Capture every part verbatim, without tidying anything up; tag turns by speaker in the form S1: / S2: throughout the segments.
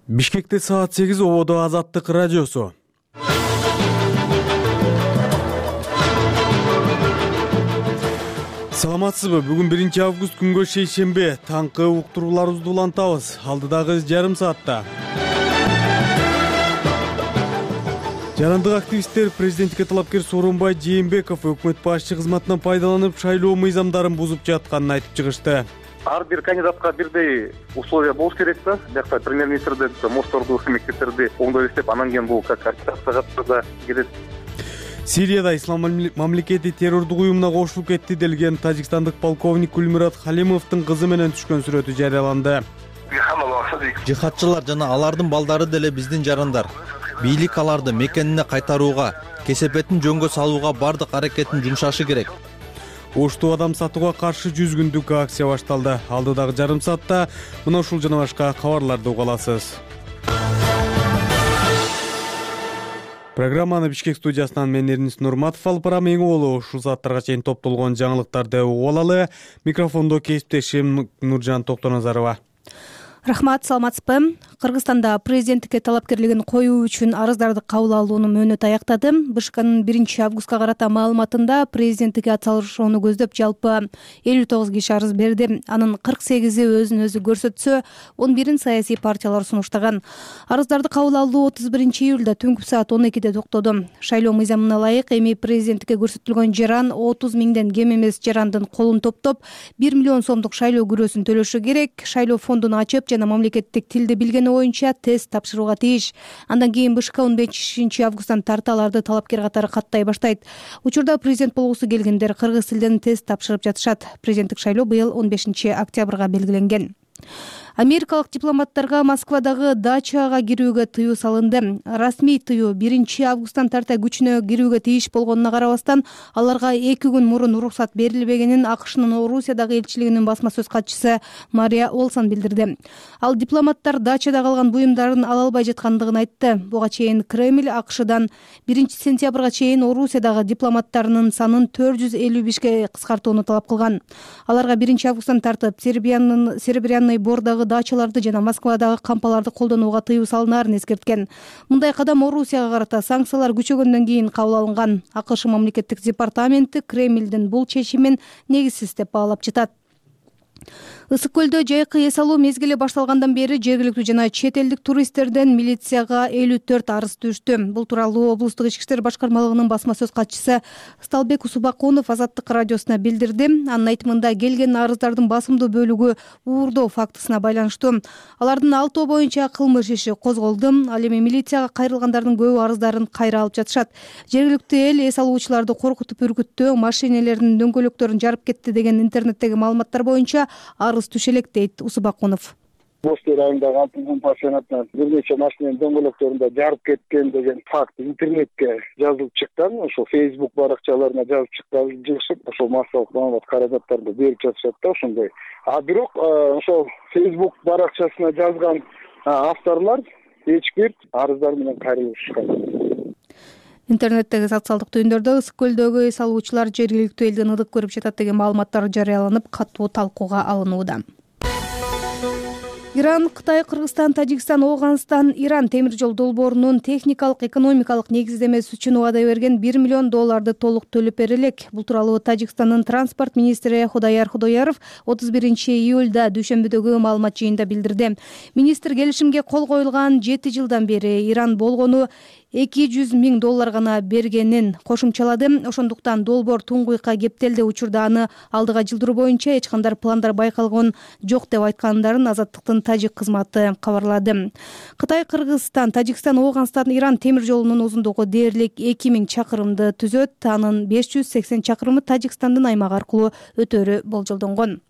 S1: Бишкекте саат сегиз ободо Азаттык радиосу. Саламатсызбы? Бүгүн биринчи август күнгө шейшембе. Таңкы уктурууларыбызды улантабыз. Алдыдагы жарым саатта. Жарандык активисттер президентке талапкер Сооронбай Жээнбеков өкмөт башчы кызматынан пайдаланып шайлоо мыйзамдарын бузуп жатканын айтып чыгышты.
S2: Ар бир кандидатка бирдей условия болуш керек да. Биякта премьер-министрди, мошторду, мектептерди оңдой иштеп, анан кийин бул как аттыгатта кетет.
S1: Сирияда ислам мамлекети террордук уюмуна кошулуп кетти делген тажикстандык полковник Гүлмурат Халимовдун кызы менен түшкөн сүрөтү жарыяланды.
S3: Жихадчылар жана алардын балдары деле биздин жарандар. Бийлик аларды мекенине кайтарууга, кесепетин жөнгө салууга бардык аракетин жумшашы керек.
S1: Оштуу адам сатууга каршы жүз күндүк акция башталды. Алдыдагы жарым саатта мына ушул жана башка кабарларды уга аласыз. Программаны Бишкек студиясынан мен Эрнис Нурматов алып барам. Эң боло ушул сааттарга чейин топтолгон жаңылыктарды угуп алалы. Микрофондо кесиптешим Нуржан Токтоназарова.
S4: Рахмат, саламатсызбы? Кыргызстанда президенттикке талапкерлигин коюу үчүн арыздарды кабыл алуунун мөөнөтү аяктады. БШКнын биринчи августка карата маалыматында президенттикке атсалышууну көздөп жалпы элүү тогуз киши арыз берди. Анын кырк сегизи өзүн өзү көрсөтсө, он бирин саясий партиялар сунуштаган. Арыздарды кабыл алуу отуз биринчи июлда түнкү саат он экиде токтоду. Шайлоо мыйзамына ылайык эми президенттикке көрсөтүлгөн жаран отуз миңден кем эмес жарандын колун топтоп, бир миллион сомдук шайлоо күрөөсүн төлөшү керек. Шайлоо фондун ачып жана мамлекеттик тилди билгени боюнча тест тапшырууга тийиш. Андан кийин БШК он бешинчи августтан тарта аларды талапкер катары каттай баштайт. Учурда президент болгусу келгендер кыргыз тилден тест тапшырып жатышат. Президенттик шайлоо быйыл он бешинчи октябрга белгиленген. Америкалык дипломаттарга Москвадагы дачага кирүүгө тыюу салынды. Расмий тыюу биринчи августтан тарта күчүнө кирүүгө тийиш болгонуна карабастан, аларга эки күн мурун уруксат берилбегенин АКШнын Орусиядагы элчилигинин басма сөз катчысы Мария Олсон билдирди. Ал дипломаттар дачада калган буюмдарын ала албай жаткандыгын айтты. Буга чейин Кремль АКШдан биринчи сентябрга чейин Орусиядагы дипломаттарынын санын төрт жүз элүү бешке кыскартууну талап кылган. Аларга биринчи августтан тартып Сербиянын Серебряный Бордагы дачаларды жана Москвадагы кампаларды колдонууга тыюу салынаарын эскерткен. Мындай кадам Орусияга карата санкциялар күчөгөндөн кийин кабыл алынган. АКШ мамлекеттик департаменти Кремлдин бул чечимин негизсиз деп баалап жатат. Ысык көлдө жайкы эс алуу мезгили башталгандан бери жергиликтүү жана чет элдик туристтерден милицияга элүү төрт арыз түштү. Бул тууралуу облустук ички иштер башкармалыгынын басма сөз катчысы Сталбек Усубакунов Азаттык радиосуна билдирди. Анын айтымында келген арыздардын басымдуу бөлүгү уурдоо фактысына байланыштуу. Алардын алтоо боюнча кылмыш иши козголду. Ал эми милицияга кайрылгандардын көбү арыздарын кайра алып жатышат. Жергиликтүү эл эс алуучуларды коркутуп үркүттү, машинелердин дөңгөлөктөрүн жарып кетти деген интернеттеги маалыматтар боюнча арыз түшө элек дейт Усубакунов.
S5: Бостер айындагы алтын пансионатынан бир нече машинанын дөңгөлөктөрүндө жарып кеткен деген факт интернетке жазылып чыккан. Ошол Facebook баракчаларына жазып чыккан жыгышып, ошол массалык маалымат каражаттарды берип жатышат да ошондой. А бирок ошол Facebook баракчасына жазган авторлор эч бир арыздар менен кайрылышкан.
S4: Интернеттеги социалдык түйүндөрдө ысык көлдөгү эс алуучулар жергиликтүү элдин ыдык көрүп жатат деген маалыматтар жарыяланып, катуу талкууга алынууда. Иран, Кытай, Кыргызстан, Тажикстан, Ооганстан, Иран темир жол долбоорунун техникалык, экономикалык негиздемеси үчүн убада берген бир миллион долларды толук төлөп бере элек. Бул тууралуу Тажикстандын транспорт министри Худаяр Худояров отуз биринчи июлда дүйшөмбүдөгү маалымат жыйынында билдирди. Министр келишимге кол коюлган жети жылдан бери Иран болгону эки жүз миң доллар гана бергенин кошумчалады. Ошондуктан долбоор туңгуйка кептелди. Учурда аны алдыга жылдыруу боюнча эч кандай пландар байкалган жок деп айткандарын Азаттыктын тажик кызматы кабарлады. Кытай, Кыргызстан, Тажикстан, Ооганстан, Иран темир жолунун узундугу дээрлик эки миң чакырымды түзөт. Анын беш жүз сексен чакырымы Тажикстандын аймагы аркылуу өтөөрү болжолдонгон.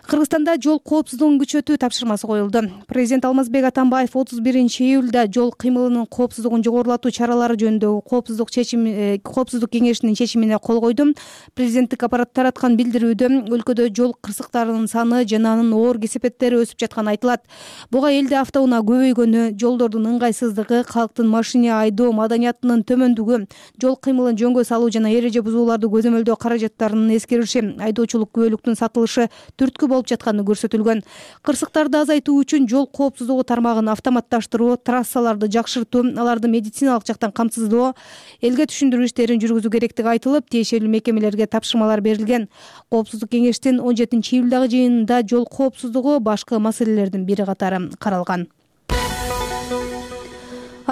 S4: Кыргызстанда жол коопсуздугун күчөтүү тапшырмасы коюлду. Президент Алмазбек Атамбаев отуз биринчи июлда жол кыймылынын коопсуздугун жогорулатуу чаралары жөнүндөгү коопсуздук чечими коопсуздук кеңешинин чечимине кол койду. Президенттик аппарат тараткан билдирүүдө өлкөдө жол кырсыктарынын саны жана анын оор кесепеттери өсүп жатканы айтылат. Буга элде автоунаа көбөйгөнү, жолдордун ыңгайсыздыгы, калктын машина айдоо маданиятынын төмөндүгү, жол кыймылын жөнгө салуу жана эреже бузууларды көзөмөлдөө каражаттарынын эскериши, айдоочулук күбөлүктүн сатылышы түрткү болуп алып жатканы көрсөтүлгөн. Кырсыктарды азайтуу үчүн жол коопсуздугу тармагын автоматташтыруу, трассаларды жакшыртуу, аларды медициналык жактан камсыздоо, элге түшүндүрүү иштерин жүргүзүү керектиги айтылып, тиешелүү мекемелерге тапшырмалар берилген. Коопсуздук кеңештин он жетинчи июлдагы жыйынында жол коопсуздугу башкы маселелердин бири катары каралган.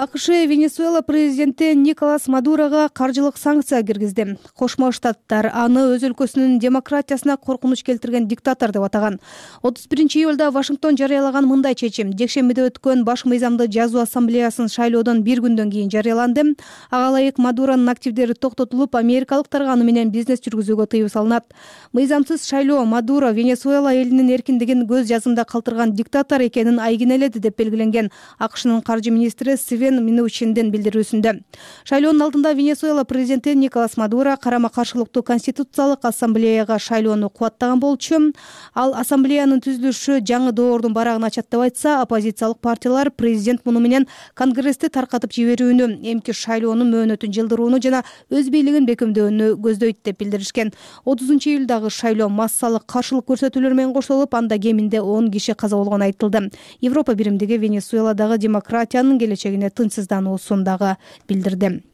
S4: АКШ Венесуэла президенти Николас Мадурога каржылык санкция киргизди. Кошмо Штаттар аны өз өлкөсүнүн демократиясына коркунуч келтирген диктатор деп атаган. отуз биринчи июлда Вашингтон жарыялаган мындай чечим жекшембиде өткөн баш мыйзамды жазуу ассамблеясын шайлоодон бир күндөн кийин жарыяланды. Ага ылайык Мадуронун активдери токтотулуп, америкалыктарга аны менен бизнес жүргүзүүгө тыюу салынат. Мыйзамсыз шайлоо Мадуро Венесуэла элинин эркиндигин көз жазымда калтырган диктатор экенин айгинеледи деп белгиленген АКШнын каржы министри Свен Минучиндин билдирүүсүндө. Шайлоонун алдында Венесуэла президенти Николас Мадуро карама-каршылыктуу конституциялык ассамблеяга шайлоону кубаттаган болчу. Ал ассамблеянын түзүлүшү жаңы доордун барагын ачат деп айтса, оппозициялык партиялар президент муну менен конгрессти таркатып жиберүүнү, эмки шайлоонун мөөнөтүн жылдырууну жана өз бийлигин бекемдөөнү көздөйт деп билдиришкен. отузунчу июлдагы шайлоо массалык каршылык көрсөтүүлөр менен коштолуп, анда кеминде он киши каза болгону айтылды. Европа биримдиги Венесуэладагы демократиянын келечегине тынчсыздануусун дагы билдирди.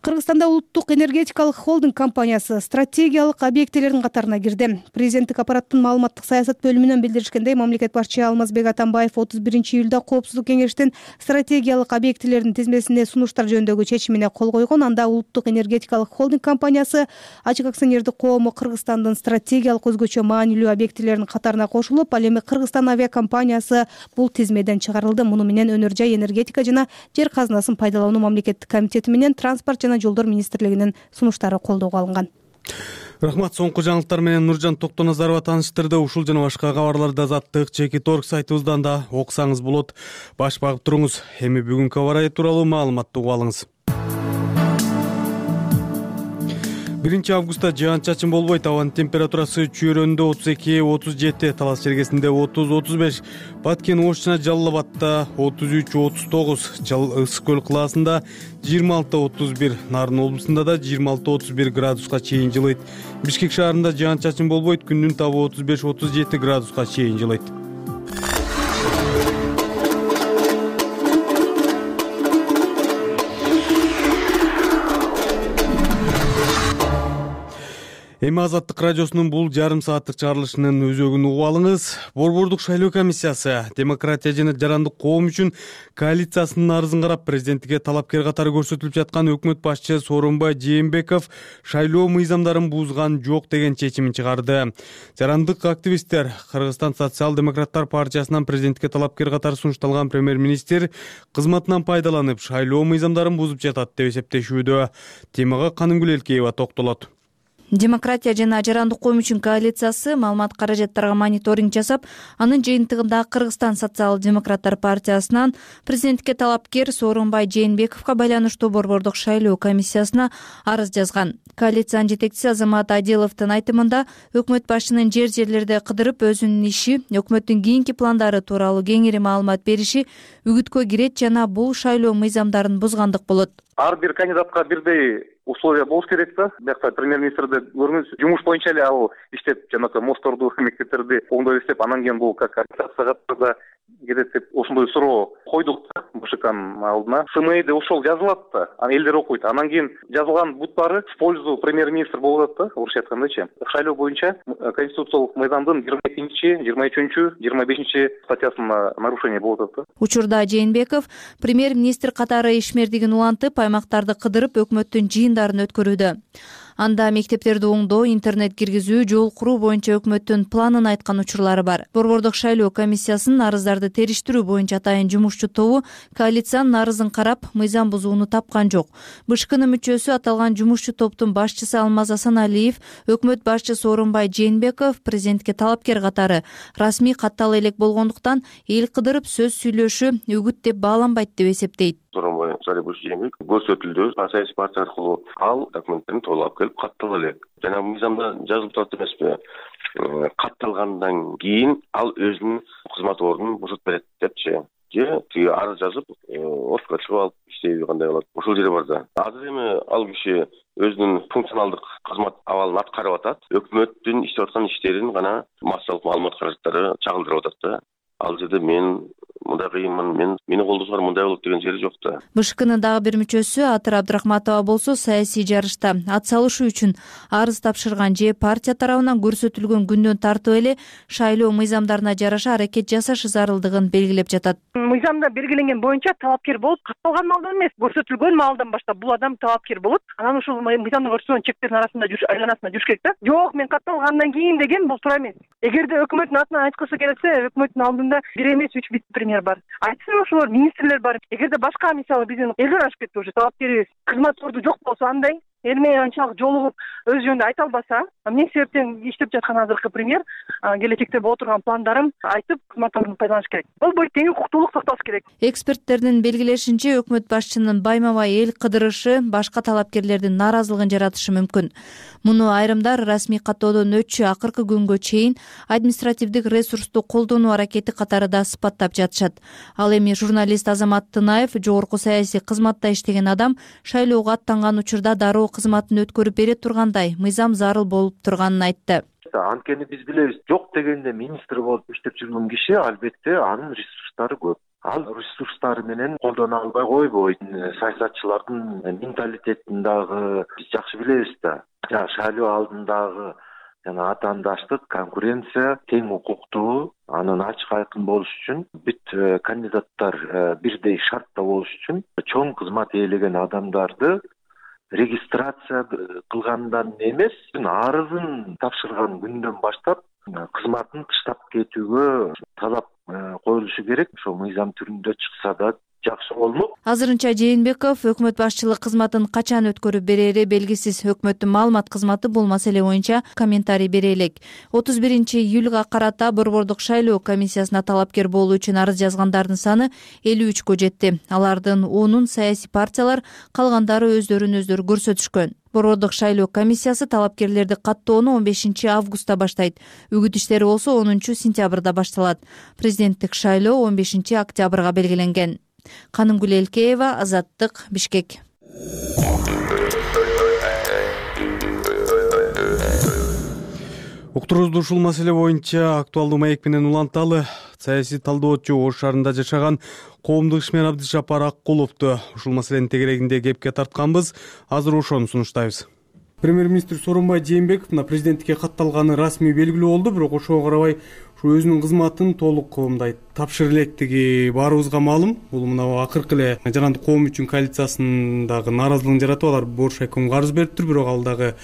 S4: Кыргызстанда улуттук энергетикалык холдинг компаниясы стратегиялык объектилердин катарына кирди. Президенттик аппараттын маалыматтык саясат бөлүмүнөн билдиришкендей, мамлекет башчы Алмазбек Атамбаев отуз биринчи июлда коопсуздук кеңештин стратегиялык объектилердин тизмесине сунуштар жөнүндөгү чечимине кол койгон. Анда улуттук энергетикалык холдинг компаниясы ачык акционердик коому Кыргызстандын стратегиялык өзгөчө маанилүү объектилеринин катарына кошулуп, ал эми Кыргызстан авиакомпаниясы бул тизмеден чыгарылды. Муну менен өнөр жай, энергетика жана жер казынасын пайдалануу мамлекеттик комитети менен транспорт жана жолдор министрлигинин сунуштары колдоого алынган.
S1: Рахмат. Соңку жаңылыктар менен Нуржан Токтоназарова тааныштырды. Ушул жана башка кабарларды Азаттык Чекит точка орг сайтыбыздан да окусаңыз болот. Баш багып туруңуз. Эми бүгүнкү аба ырайы тууралуу маалыматты угуп алыңыз. биринчи августта жаан-чачын болбойт. Абанын температурасы Чүйрөндө отуз эки отуз жети, Талас Чергесинде отуз отуз беш, Баткен Ош жана Жалал Абадта отуз үч отуз тогуз, Ысык көл кылаасында жыйырма алты отуз бир, Нарын облусунда да жыйырма алты отуз бир градуска чейин жылыйт. Бишкек шаарында жаан-чачын болбойт. Күндүн табы отуз беш отуз жети градуска чейин жылыйт. Эми Азаттык радиосунун бул жарым сааттык чыгарылышынын өзөгүн угуп алыңыз. Борбордук шайлоо комиссиясы демократия жана жарандык коом үчүн коалициясынын арызын карап, президенттикке талапкер катары көрсөтүлүп жаткан өкмөт башчы Сооронбай Жээнбеков шайлоо мыйзамдарын бузган жок деген чечимин чыгарды. Жарандык активисттер Кыргызстан социал-демократтар партиясынан президентикке талапкер катары сунушталган премьер-министр кызматынан пайдаланып, шайлоо мыйзамдарын бузуп жатат деп эсептешүүдө. Темага Канымгүл Элкеева токтолот.
S6: Демократия жана жарандык коом үчүн коалициясы маалымат каражаттарга мониторинг жасап, анын жыйынтыгында Кыргызстан социал-демократтар партиясынан президенттикке талапкер Сооронбай Жээнбековго байланыштуу борбордук шайлоо комиссиясына арыз жазган. Коалициянын жетекчиси Азамат Адиловдун айтымында, өкмөт башчынын жер жерлерди кыдырып өзүнүн иши, өкмөттүн кийинки пландары тууралуу кеңири маалымат бериши үгүткө кирет жана бул шайлоо мыйзамдарын бузгандык болот.
S2: Ар бир кандидатка бирдей условия болуш керек да. Биякта премьер-министрди көрүңүз, жумуш боюнча эле ал иштеп, жанагы мостторду, мектептерди оңдой иштеп, анан кийин бул как коалицияга кирет деп ошондой суроо койдук да БШКнын алдына. СМИде ошол жазылат да, анан элдер окуйт. Анан кийин жазылган буттары в пользу премьер-министр болуп атат да, орусча айткандачы. Шайлоо боюнча конституциялык мыйзамдын жыйырма экинчи, жыйырма үчүнчү, жыйырма бешинчи статьясына нарушение болуп атат да.
S6: Учурда Жээнбеков премьер-министр катары ишмердигин улантып, аймактарды кыдырып, өкмөттүн жыйындарын өткөрүүдө. Анда мектептерди оңдоо, интернет киргизүү, жол куруу боюнча өкмөттүн планын айткан учурлары бар. Борбордук шайлоо комиссиясынын арыздарды териштирүү боюнча атайын жумушчу тобу коалициянын арызын карап, мыйзам бузууну тапкан жок. БШКнын мүчөсү аталган жумушчу топтун башчысы Алмаз Асаналиев өкмөт башчы Сооронбай Жээнбеков президентке талапкер катары расмий каттала элек болгондуктан эл кыдырып сөз сүйлөшү үгүт деп бааланбайт деп эсептейт.
S7: Сооронбай Жээнбеков көрсөтүлдү, саясий партия аркылуу ал документтерин толук алып келип каттала элек. Жана мыйзамда жазылып турат эмеспи? Катталгандан кийин ал өзүнүн кызмат ордунун бузуп берет депчи. Же тиги арыз жазып, отко чыгып алып иштейби кандай болот? Ошол жери бар да. Азыр эми ал киши өзүнүн функционалдык кызмат абалын аткарып атат. Өкмөттүн иштеп жүрүп аткан иштерин гана массалык маалымат каражаттары чагылдырып атат да. Ал жерде мен мындай кыйынмын, мен мени колдосоңор мындай болот деген жери жок да.
S6: БШКнын дагы бир мүчөсү Атыр Абдрахматова болсо саясий жарышта ат салышуу үчүн арыз тапшырган же партия тарабынан көрсөтүлгөн күндөн тартып эле шайлоо мыйзамдарына жараша аракет жасашы зарылдыгын белгилеп жатат.
S8: Мыйзамда белгиленген боюнча талапкер болуп катталган маалдан эмес, көрсөтүлгөн маалдан баштап бул адам талапкер болот. Анан ушул мыйзамда көрсөтүлгөн чектердин арасында жүрүш айланасында жүрүш керек да. Жок, мен катталгандан кийин деген бул туура эмес. Эгерде өкмөттүн атынан айткысы келсе, өкмөттүн алдында бир эмес үч вице-премьер бар. Айтсын ошолор министрлер бар. Эгерде башка мисалы биздин элдер ашып кетти уже талапкерибиз кызмат орду жок болсо андай эл менен анчалык жолугуп өз жөнүндө айта албаса, эмне себептен иштеп жаткан азыркы премьер келечекте боло турган пландарын айтып кызмат ордун пайдаланыш керек. Болбойт, тең укуктуулук сакталыш керек.
S6: Эксперттердин белгилешинче, өкмөт башчынын байма-бай эл кыдырышы башка талапкерлердин нааразылыгын жаратышы мүмкүн. Муну айрымдар расмий каттоодон өтчү акыркы күнгө чейин административдик ресурсту колдонуу аракети катары да сыпаттап жатышат. Ал эми журналист Азамат Тынаев, жогорку саясий кызматта иштеген адам, шайлоого аттанган учурда дароо кызматын өткөрүп бере тургандай мыйзам зарыл болуп турганын айтты.
S9: Анткени биз билебиз, жок дегенде министр болуп иштеп жүргөн киши албетте анын ресурстары көп. Ал ресурстары менен колдоно албай койбойт. Саясатчылардын менталитетин дагы биз жакшы билебиз да. Шайлоо алдындагы жана атаандаштык, конкуренция тең укуктуу, анын ачык айкын болуш үчүн бүт кандидаттар бирдей шартта болуш үчүн чоң кызмат ээлеген адамдарды регистрация кылгандан эмес, арызын тапшырган күндөн баштап кызматын таштап кетүүгө талап коюлушу керек. Ошо мыйзам түрүндө чыкса да жакшы болмок.
S6: Азырынча Жээнбеков өкмөт башчылык кызматын качан өткөрүп берери белгисиз. Өкмөттүн маалымат кызматы бул маселе боюнча комментарий бере элек. отуз биринчи июлга карата Борбордук шайлоо комиссиясына талапкер болуу үчүн арыз жазгандардын саны элүү үчкө жетти. Алардын онун саясий партиялар, калгандары өздөрүн өздөрү көрсөтүшкөн. Борбордук шайлоо комиссиясы талапкерлерди каттоону он бешинчи августта баштайт. Үгүт иштери болсо онунчу сентябрда башталат. Президенттик шайлоо он бешинчи октябрга белгиленген. Канымгүл Элкеева, Азаттык, Бишкек.
S1: Уктуруубузду ушул маселе боюнча актуалдуу маек менен уланталы. Саясий талдоочу Ош шаарында жашаган коомдук ишмер Абдышапар Аккуловду ушул маселенин тегерегинде кепке тартканбыз. Азыр ошону сунуштайбыз. Премьер-министр Сооронбай Жээнбеков мына президенттикке катталганы расмий белгилүү болду, бирок ошого карабай ушу өзүнүн кызматын толук мындай тапшырып электиги баарыбызга маалым. Бул мына акыркы эле Жарандык коом үчүн коалициясындагы нааразылыгын жаратып, алар Бош айкомго арыз бериптир, бирок ал дагы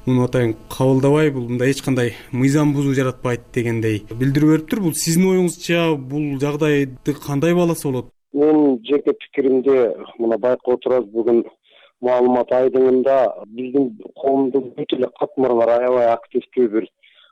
S1: муну атайын кабылдабай, бул мындай эч кандай мыйзам бузуу жаратпайт дегендей билдирүү бериптир. Бул сиздин оюңузча бул жагдайды кандай бааласа болот?
S5: Мен жеке пикиримде мына байкап отурабыз, бүгүн маалымат айдыңында биздин коомдун бүт эле катмарлары аябай активдүү бир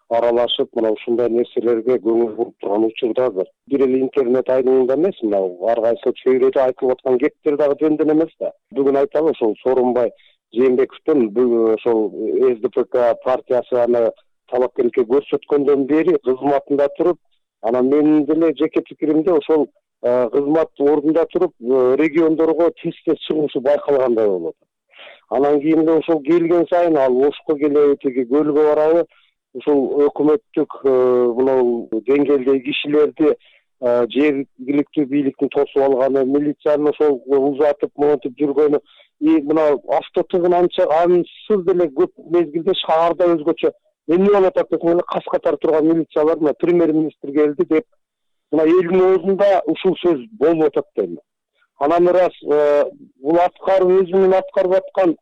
S5: аралашып, мына ушундай нерселерге көңүл буруп турган учурдадыр. Бир эле интернет айдыңында эмес, мына ар кайсы чөйрөдө айтылып аткан кептер дагы жөндөн эмес да. Бүгүн айталы, ошол Сооронбай Жээнбековдун ошол эс ди пэ ка партиясы аны талапкерликке көрсөткөндөн бери кызматында туруп, анан менин деле жеке пикиримде ошол кызмат ордунда туруп региондорго тез-тез чыгушу байкалгандай болот. Анан кийин эле ошол келген сайын ал Ошко келеби, тиги көлгө барабы, ушул өкмөттүк мына деңгээлдеги кишилерди жергиликтүү бийликтин тосуп алганы, милициянын ошол узатып монтип жүргөнү, и мына автотыгын анча ансыз деле көп мезгилде шаарда өзгөчө эмне болуп атат десең эле кас катар турган милициялар мына премьер-министр келди деп мына элдин оозунда ушул сөз болуп атат дейм. Анан ырас бул аткарып өзүнүн аткарып аткан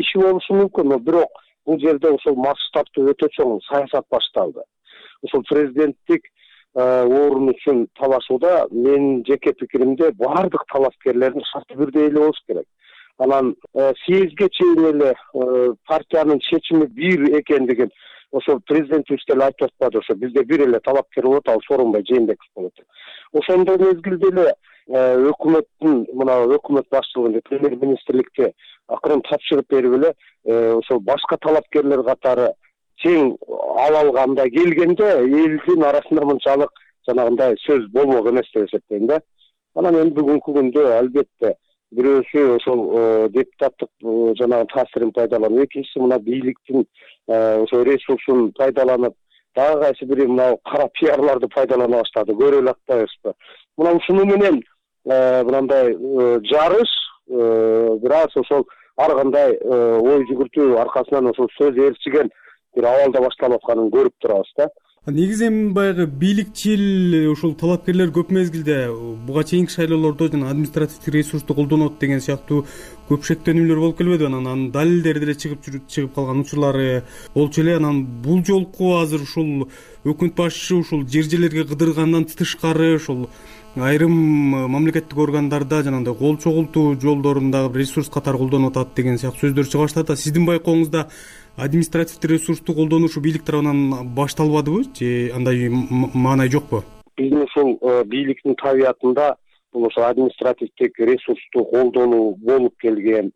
S5: иши болушу мүмкүн, бирок бул жерде ошол масштабтуу өтө чоң саясат башталды. Ушул президенттик орун үчүн талашууда менин жеке пикиримде баардык талапкерлердин шарты бирдей эле болуш керек. Анан съездге чейин эле партиянын чечими бир экендигин ошо президентибиз деле айтып атпады, ошо бизде бир эле талапкер болот, ал Сооронбай Жээнбеков болот. Ошондой мезгилде эле өкмөттүн мына өкмөт башчылыгында премьер-министрликке акырын тапшырып берип эле ошол башка талапкерлер катары тең ала алганда келгенде элдин арасында мынчалык жанагындай сөз болмок эмес деп эсептейм да. Анан эми бүгүнкү күндө албетте бирөөсү ошол депутаттык жанагы таасирин пайдаланып, экинчиси мына бийликтин ошо ресурсун пайдаланып, дагы кайсы бири мына кара пиарларды пайдалана баштады. Көрө эле атпайбызбы? Мына ушуну менен мындай жарыш бир аз ошол ар кандай ой жүгүртүү аркасынан ошол сөз ээрчиген бир абалда башталып атканын көрүп турабыз да.
S1: Негизи эми баягы бийликчил ушул талапкерлер көп мезгилде буга чейинки шайлоолордо жана административдик ресурсту колдонот деген сыяктуу көп шектенүүлөр болуп келбедиби? Анан далилдери деле чыгып чыгып калган учурлары болчу эле. Анан бул жолку азыр ушул өкмөт башчысы ушул жер жерлерге кыдыргандан тышкары ушул айрым мамлекеттик органдарда жанагындай кол чогултуу жолдорунда ресурс катары колдонуп атат деген сыяктуу сөздөр чыга баштады. Сиздин байкооңузда административдик ресурсту колдонуу ушу бийлик тарабынан башталбадыбы же андай маанай жокпу?
S5: Биздин ушул бийликтин табиятында бул ошо административдик ресурсту колдонуу болуп келген,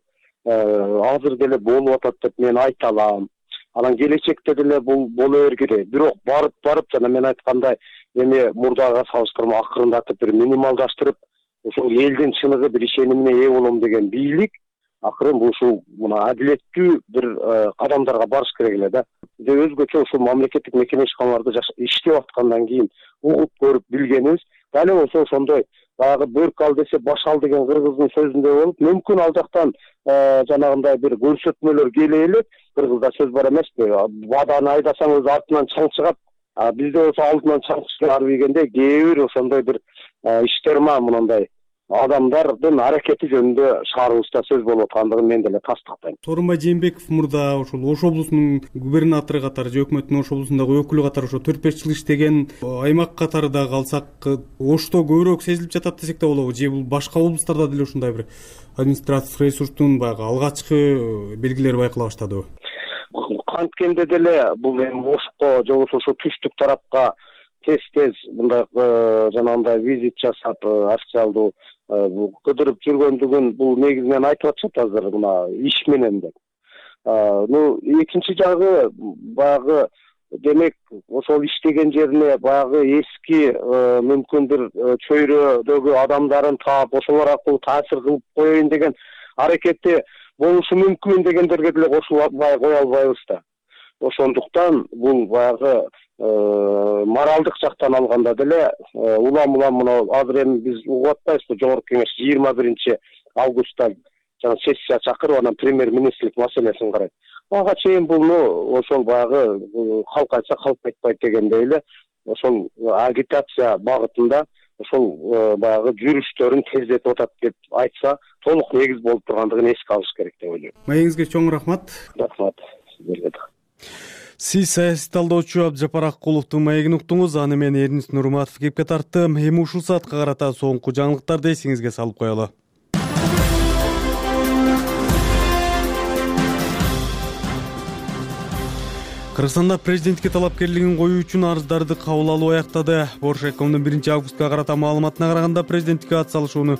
S5: азыр деле болуп атат деп мен айта алам. Анан келечекте деле бул боло бергиле. Бирок барып барып жана мен айткандай эми мурдага салыштырма акырындатып бир минималдаштырып, ошол элдин чыныгы бир ишенимине ээ болом деген бийлик акырын бул ушул мына адилеттүү бир кадамдарга барыш керек эле да. Же өзгөчө ушул мамлекеттик мекемешканаларда иштеп аткандан кийин угуп көрүп билгенибиз, дал болсо ошондой баягы бөрк ал десе баш ал деген кыргыздын сөзүндөй болуп, мүмкүн ал жактан жанагындай бир көрсөтмөлөр келе элек. Кыргызда сөз бар эмеспи? Баданы айдасаң өзү артынан чаң чыгат. Бизде болсо алдынан чаң чыгар дегенде кээ бир ошондой бир иштер ма мындай адамдардын аракети жөнүндө шаарыбызда сөз болуп аткандыгын мен деле тастыктайм.
S1: Сооронбай Жээнбеков мурда ошол Ош облусунун губернатору катары же өкмөттүн Ош облусундагы өкүлү катары ошо төрт беш жыл иштеген, аймак катары да калсак Ошто көбүрөөк сезилип жатат десек да болобу? Же бул башка облустарда деле ушундай бир административдик ресурстун баягы алгачкы белгилери байкала баштадыбы?
S5: Канткенде деле бул эми Ошко же болбосо ошо түштүк тарапка тез-тез мындай жанагындай визит жасап, официалдуу кыдырып жүргөндүгүн бул негизинен айтып атышат азыр мына иш менен деп. Ну, экинчи жагы баягы демек ошол иштеген жерине баягы эски мүмкүн бир чөйрөдөгү адамдарын таап, ошолор аркылуу таасир кылып коеюн деген аракети болушу мүмкүн дегендерге деле кошулбай кое албайбыз да. Ошондуктан бул баягы моралдык жактан алганда деле улам-улам мына азыр эми биз угуп атпайбызбы, жогорку кеңеш жыйырма биринчи августта жана сессия чакырып, анан премьер-министрлик маселесин карайт. Ага чейин булну ошол баягы калк айтса калк айтпайт дегендей эле ошол агитация багытында ошол баягы жүрүштөрүн тездетип атат деп айтса толук негиз болуп тургандыгын эске алыш керек деп ойлойм.
S1: Маегиңизге чоң рахмат.
S5: Рахмат сиздерге да.
S1: Сиз саясий талдоочу Абдыжапар Аккуловдун маегин уктуңуз. Аны мен Эрнис Нурматов кепке тарттым. Эми ушул саатка карата соңку жаңылыктарды эсиңизге салып коелу. Кыргызстанда президентке талапкерлигин коюу үчүн арыздарды кабыл алуу аяктады. Боршайкомдун биринчи августка карата маалыматына караганда президентке ат салышууну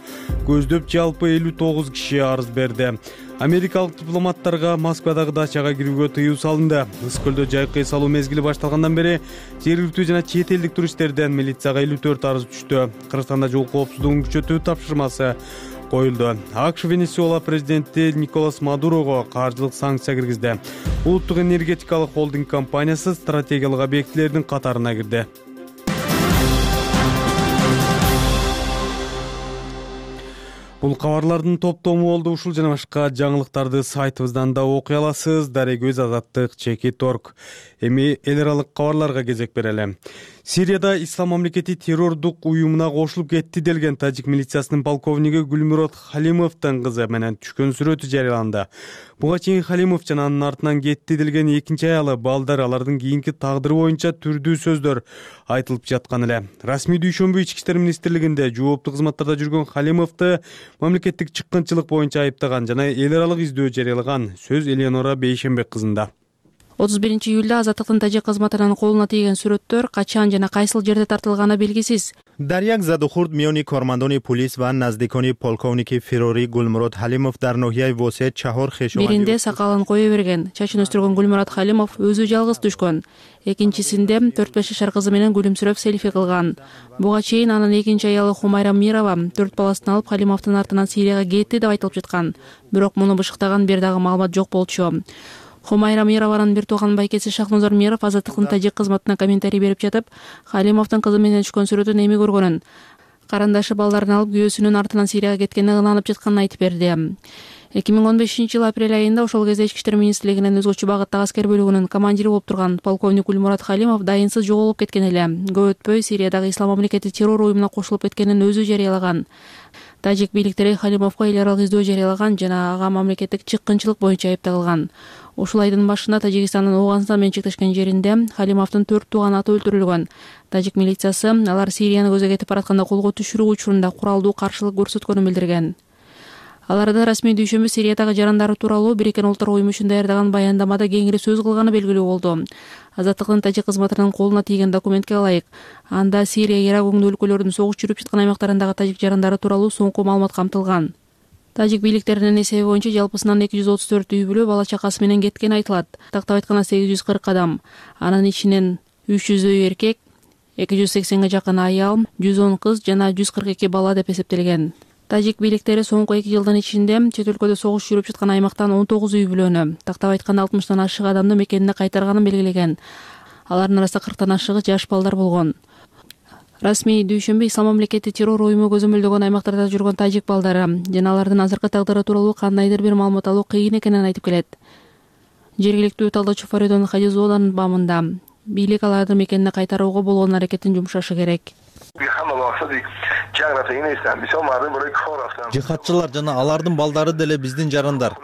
S1: көздөп жалпы элүү тогуз киши арыз берди. Америкалык дипломаттарга Москвадагы дачага кирүүгө тыюу салынды. Ыс көлдө жайкы эс алуу мезгили башталгандан бери жергиликтүү жана чет элдик туристтерден милицияга элүү төрт арыз түштү. Кыргызстанда жол коопсуздугун күчөтүү тапшырмасы коюлду. АКШ Венесуэла президенти Николас Мадурого каржылык санкция киргизди. Улуттук энергетикалык холдинг компаниясы стратегиялык объектилердин катарына кирди. Бул кабарлардын топтому болду. Ушул жана башка жаңылыктарды сайтыбыздан да окуй аласыз. Дарегөз Азаттык чекит орг. Эми эл аралык кабарларга кезек берели. Сирияда Ислам мамлекети террордук уюмуна кошулуп кетти делген тажик милициясынын полковниги Гүлмурод Халимовдун кызы менен түшкөн сүрөтү жарыяланды. Буга чейин Халимов жана анын артынан кетти делген экинчи аялы балдар алардын кийинки тагдыры боюнча түрдүү сөздөр айтылып жаткан эле. Расмий дүйшөмбү ички иштер министрлигинде жооптуу кызматтарда жүргөн Халимовду мамлекеттик чыккынчылык боюнча айыптаган жана эл аралык издөө жарыялаган. Сөз Элеонора Бейшембек кызында.
S10: отуз биринчи июлда Азаттыктын тажик кызматынын колуна тийген сүрөттөр качан жана кайсыл жерде тартылганы белгисиз.
S11: дар як задухурд миёни кормандони полис ва наздикони полковники Фирори Гулмурод Халимов дар ноҳияи Восет чаҳор хешованди
S10: биринде сакалын кое берген, чачын өстүргөн Гулмурод Халимов өзү жалгыз түшкөн. Экинчисинде төрт беш жашар кызы менен күлүмсүрөп селфи кылган. Буга чейин анын экинчи аялы Хумайра Мирова төрт баласын алып Халимовдун артынан Сирияга кетти деп айтылып жаткан. Бирок муну бышыктаган бир дагы маалымат жок болчу. Хумайра Мированын бир тууган байкеси Шахнозор Миров Азаттыктын тажик кызматына комментарий берип жатып, Халимовдун кызы менен түшкөн сүрөтүн эми көргөнүн, карандашы балдарын алып күйөөсүнүн артынан Сирияга кеткенине ынанып жатканын айтып берди. эки миң он бешинчи жылы апрель айында ошол кезде Ички иштер министрлигинин өзгөчө багыттагы аскер бөлүгүнүн командири болуп турган полковник Гулмурод Халимов дайынсыз жоголуп кеткен эле. Көп өтпөй Сириядагы Ислам мамлекети террор уюмуна кошулуп кеткенин өзү жарыялаган. Тажик бийликтери Халимовго эл аралык издөө жарыялаган жана ага мамлекеттик чыккынчылык боюнча айыпталган. Ушул айдын башында Тажикстандын Ооганстан менен чектешкен жеринде Халимовдун төрт тууган аты өлтүрүлгөн. Тажик милициясы алар Сирияны көзгө кетип баратканда колго түшүрүү учурунда куралдуу каршылык көрсөткөнүн билдирген. Аларда расмий дүйшөмбү Сириядагы жарандары тууралуу Бириккен Улуттар уюму үчүн даярдаган баяндамада кеңири сөз кылганы белгилүү болду. Азаттыктын тажик кызматынын колуна тийген документке ылайык, анда Сирия, Ирак өңдүү өлкөлөрүнүн согуш жүрүп жаткан аймактарындагы тажик жарандары тууралуу соңку маалымат камтылган. Тажик бийликтеринин эсеби боюнча жалпысынан эки жүз отуз төрт үй бүлө бала чакасы менен кеткени айтылат. Тактап айтканда сегиз жүз кырк адам, анын ичинен үч жүздөй эркек, эки жүз сексенге жакын аял, жүз он кыз жана жүз кырк эки бала деп эсептелген. Тажик бийликтери соңку эки жылдын ичинде чет өлкөдө согуш жүрүп жаткан аймактан он тогуз үй бүлөнү, тактап айтканда алтымыштан ашык адамды мекенине кайтарганын белгилеген. Алардын арасында кырктан ашыгы жаш балдар болгон. Расмий дүйшөмбү Ислам мамлекети террор уюму көзөмөлдөгөн аймактарда жүргөн тажик балдары жана алардын азыркы тагдыры тууралуу кандайдыр бир маалымат алуу кыйын экенин айтып келет. Жергиликтүү талдаачу Фаридон Хадизованын бамында бийлик алардын мекенине кайтарууга болгон аракетин жумшашы керек.
S3: Жихадчылар жана алардын балдары деле биздин жарандар.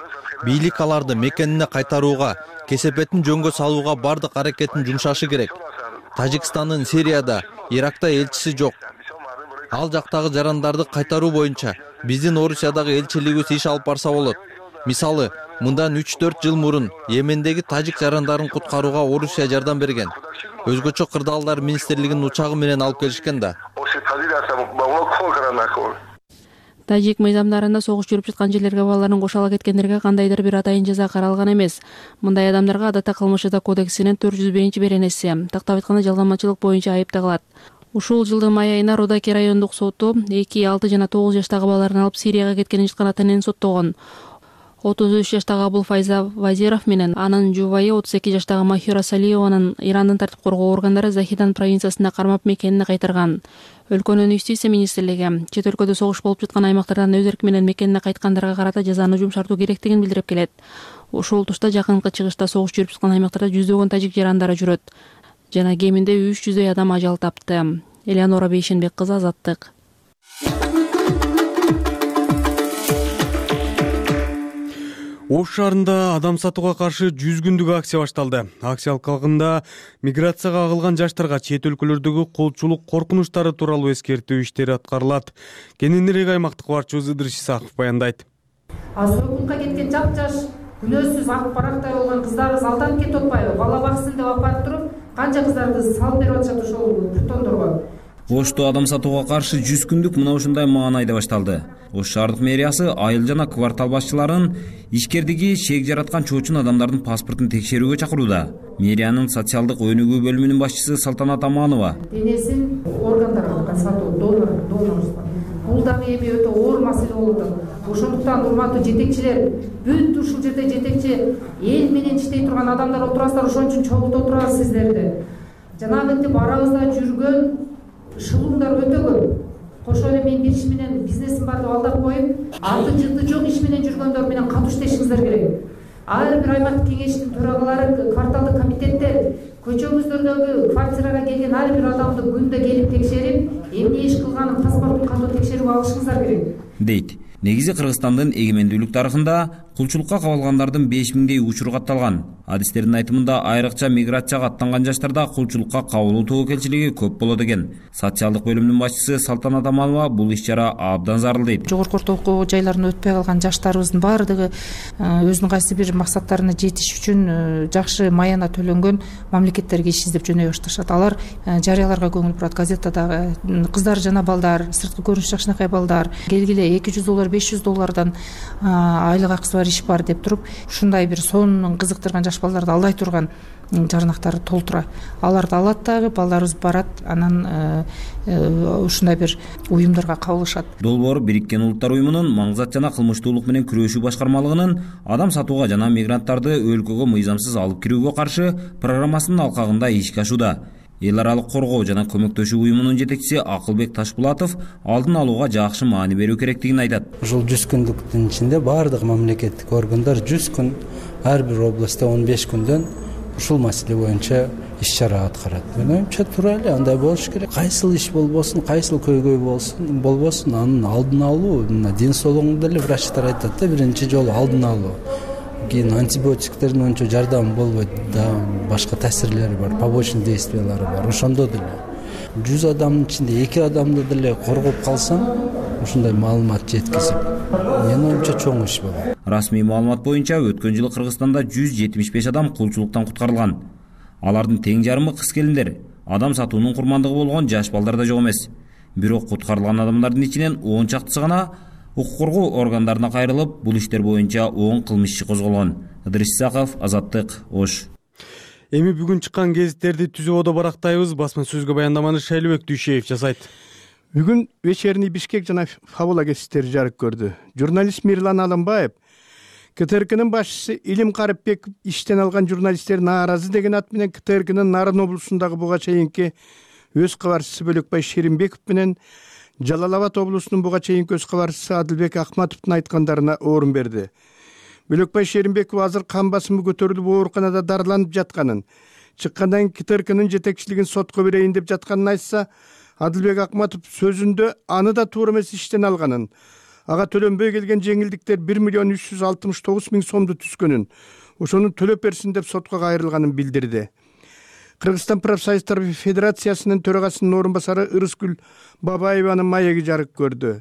S3: Бийлик аларды мекенине кайтарууга, кесепетин жөнгө салууга бардык аракетин жумшашы керек. Тажикстандын Сирияда, Иракта элчиси жок. Ал жактагы жарандарды кайтаруу боюнча биздин Орусиядагы элчилигибиз иш алып барса болот. Мисалы, мындан үч төрт жыл мурун Йемендеги тажик жарандарын куткарууга Орусия жардам берген. Өзгөчө кырдаалдар министрлигинин учагы менен алып келишкен да.
S10: Тажик мыйзамдарында согуш жүрүп жаткан жерлерге балаларын кошо ала кеткендерге кандайдыр бир атайын жаза каралган эмес. Мындай адамдарга адатта кылмыш жаза кодексинин төрт жүз биринчи беренеси, тактап айтканда жалганмачылык боюнча айып тагылат. Ушул жылдын май айында Родаки райондук соту эки, алты жана тогуз жаштагы балаларын алып Сирияга кеткенин жаткан ата энени соттогон. отуз үч жаштагы Абулфайза Вазиров менен анын жубайы отуз эки жаштагы Махира Салиеванын Ирандын тартип коргоо органдары Захидан провинциясында кармап мекенине кайтарган. Өлкөнүн юстиция министрлиги чет өлкөдө согуш болуп жаткан аймактардан өз эрки менен мекенине кайткандарга карата жазаны жумшартуу керектигин билдирип келет. Ошол тушта жакынкы чыгышта согуш жүрүп жаткан аймактарда жүздөгөн тажик жарандары жүрөт жана кеминде үч жүздөй адам ажал тапты. Элеонора Бейшенбек кызы, Азаттык.
S1: Ош шаарында адам сатууга каршы жүз күндүк акция башталды. Акция алкагында миграцияга агылган жаштарга чет өлкөлөрдөгү колчулук коркунучтары тууралуу эскертүү иштери аткарылат. Кененирээк аймактык барчыбыз Ыдырыш Исаков баяндайт.
S12: Азыркынга кеткен жап-жаш, күнөөсүз ак барактай болгон кыздарыбыз алданып кетип атпайбы? Бала баксын деп алып барып туруп, канча кыздарды салып берип атышат ошол притондорго.
S13: Ошто адам сатууга каршы жүз күндүк мына ушундай маанайда башталды. Ош шаардык мэриясы айыл жана квартал башчыларын ишкердиги шек жараткан чоочун адамдардын паспортун текшерүүгө чакырууда. Мэриянын социалдык өнүгүү бөлүмүнүн башчысы Салтанат Аманова.
S12: Денесин органдарга сатуу, донор, донорство. Бул дагы эми өтө оор маселе болуп атат. Ошондуктан урматтуу жетекчилер, бүт ушул жерде жетекчи эл менен иштей турган адамдар отурасыздар, ошон үчүн чогултуп турабыз сиздерди. Жанагынтип арабызда жүргөн шылуңдар өтө көп. Кошо эле мен бир иш менен бизнесим бар деп алдап коюп, аты жыты жок иш менен жүргөндөр менен катыш иштешиңиздер керек. Ар бир аймактык кеңештин төрагалары, кварталдык комитеттер көчөңүздөрдөгү квартирага келген ар бир адамды күндө келип текшерип, эмне иш кылганын, паспортун катуу текшерип алышыңыздар керек,
S13: дейт. Негизи Кыргызстандын эгемендүүлүк тарыхында кулчулукка кабылгандардын беш миңдей учуру катталган. Адистердин айтымында айрыкча миграцияга аттанган жаштарда кулчулукка кабылуу тобокелчилиги көп болот экен. Социалдык бөлүмүнүн башчысы Салтанат Аманова бул иш-чара абдан зарыл дейт.
S12: Жогорку окуу жайларына өтпөй калган жаштарыбыздын баардыгы өзүнүн кайсы бир максаттарына жетиш үчүн жакшы маяна төлөнгөн мамлекеттерге иш издеп жөнөй башташат. Алар жарыяларга көңүл бурат. Газетадагы кыздар жана балдар, сырткы көрүнүш жакшынакай балдар келгиле эки жүз доллар, беш жүз доллардан айлык акысы бар иш бар деп туруп, ушундай бир сонун кызыктырган жаш балдарды алдай турган жарнактары толтура. Аларды алат дагы, балдарыбыз барат, анан ушундай бир уюмдарга кабылышат.
S13: Долбоор Бириккен Улуттар уюмунун маңзат жана кылмыштуулук менен күрөшүү башкармалыгынын адам сатууга жана мигранттарды өлкөгө мыйзамсыз алып кирүүгө каршы программасынын алкагында ишке ашууда. Эл аралык коргоо жана көмөктөшүү уюмунун жетекчиси Акылбек Ташпулатов алдын алууга жакшы маани берүү керектигин айтат.
S14: Ушул жүз күндүктүн ичинде баардык мамлекеттик органдар жүз күн, ар бир областта он беш күндөн ушул маселе боюнча иш-чара аткарат. Мен оюмча туура эле андай болуш керек. Кайсыл иш болбосун, кайсыл көйгөй болсун, болбосун, анын алдын алуу, мына ден соолугунда эле врачтар айтат да, биринчи жолу алдын алуу. Кийин антибиотиктердин ончо жардамы болбойт да, башка таасирлери бар, побочный действиялары бар. Ошондо деле жүз адамдын ичинде эки адамды деле коргоп калсаң, ушундай маалымат жеткизип, менин оюмча чоң иш болот.
S13: Расмий маалымат боюнча өткөн жылы Кыргызстанда жүз жетимиш беш адам кулчулуктан куткарылган. Алардын тең жарымы кыз келиндер, адам сатуунун курмандыгы болгон жаш балдар да жок эмес. Бирок куткарылган адамдардын ичинен он чактысы гана укук коргоо органдарына кайрылып, бул иштер боюнча он кылмыш иши козголгон. Ыдырыс Исаков, Азаттык, Ош.
S1: Эми бүгүн чыккан гезиттерди түзүүбөдө барактайбыз. Басма сөзгө баяндаманы Шайлыбек Дүйшеев жасайт.
S15: Бүгүн вечерний Бишкек жана Фабула гезиттери жарык көрдү. Журналист Мирлан Алымбаев КТРКнын башчысы Илим Карыпбеков иштен алган журналисттер нааразы деген ат менен КТРКнын Нарын облусундагы буга чейинки өз кабарчысы Бөлөкбай Шеримбеков менен Жалал Абад облусунун буга чейинки өз кабарчысы Адылбек Ахматовдун айткандарына орун берди. Бөлөкбай Шеримбеков азыр кан басымы көтөрүлүп ооруканада дарыланып жатканын, чыккандан кийин КТРКнын жетекчилигин сотко берейин деп жатканын айтса, Адылбек Ахматов сөзүндө аны да туура эмес иштен алганын, ага төлөнбөй келген жеңилдиктер бир миллион үч жүз алтымыш тогуз миң сомду түзгөнүн, ошону төлөп берсин деп сотко кайрылганын билдирди. Кыргызстан профсоюздар федерациясынын төрагасынын орун басары Ырыскүл Бабаеванын маеги жарык көрдү.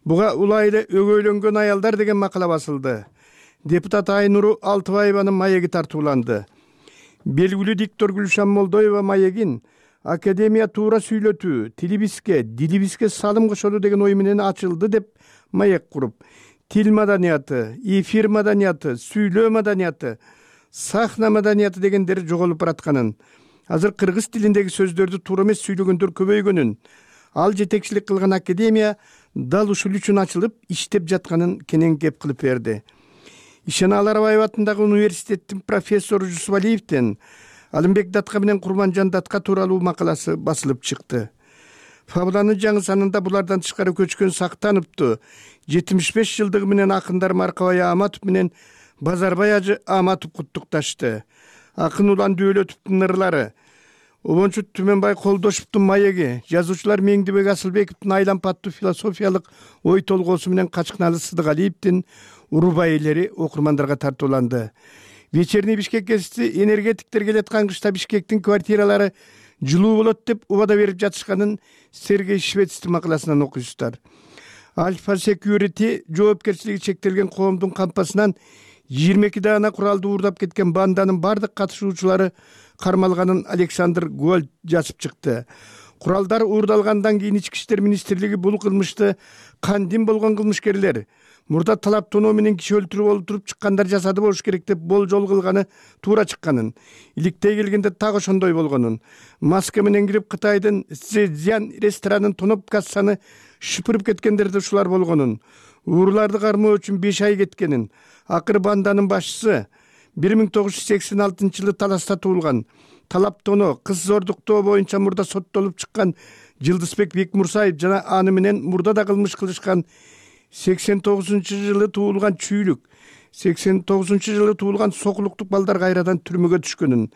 S15: Буга улайлы өгөйлөнгөн аялдар деген макала басылды. Депутат Айнуру Алтыбаеванын маеги тартууланды. Белгилүү диктор Гүлшан Молдоева маегин академия туура сүйлөтүү, тилибизге, дилибизге салым кошоду деген ой менен ачылды деп маек куруп, тил маданияты, эфир маданияты, сүйлөө маданияты, сахна маданияты дегендер жоголуп баратканын, азыр кыргыз тилиндеги сөздөрдү туура эмес сүйлөгөндөр көбөйгөнүн, ал жетекчилик кылган академия дал ушул үчүн ачылып иштеп жатканын кенен кеп кылып берди. Ишана Аларбаева атындагы университеттин профессору Жусупалиевден Алымбек Датка менен Курманжан Датка тууралуу макаласы басылып чыкты. Фабуланын жаңы санында булардан тышкары көчкөн Сактановду жетимиш беш жылдыгы менен акындар Маркабай Аматов менен Базарбай ажы Аматов куттукташты. Акын Улан Дөөлөтовдун ырлары, Обончу Түмөнбай Колдошевдун маеги, жазуучулар Меңдибек Асылбековдун айлампаттуу философиялык ой толгоосу менен Качкыналы Сыдыгалиевдин урубайылери окурмандарга тартууланды. Вечерний Бишкек гезити энергетиктер келаткан кышта Бишкектин квартиралары жылуу болот деп убада берип жатышканын Сергей Швецтин макаласынан окуйсуздар. Альфа Security жоопкерчилиги чектелген коомдун кампасынан жыйырма эки даана куралды уурдап кеткен банданын бардык катышуучулары кармалганын Александр Гольд жазып чыкты. Куралдар уурдалгандан кийин Ички иштер министрлиги бул кылмышты кандин болгон кылмышкерлер мурда талап тоноо менен киши өлтүрүп олтуруп чыккандар жасады болуш керек деп болжол кылганы туура чыкканын, иликтей келгенде так ошондой болгонун, маска менен кирип Кытайдын Цзян ресторанын тоноп кассаны шыпырып кеткендер да ушулар болгонун, ууруларды кармоо үчүн беш ай кеткенин, акыры банданын башчысы бир миң тогуз жүз сексен алтынчы жылы таласта туулган, талап тоноо, кыз зордуктоо боюнча мурда соттолуп чыккан Жылдызбек Бекмурсаев жана аны менен мурда да кылмыш кылышкан сексен тогузунчу жылы туулган Чүйлүк, сексен тогузунчу жылы туулган Сокулуктук балдар кайрадан түрмөгө түшкөнүн,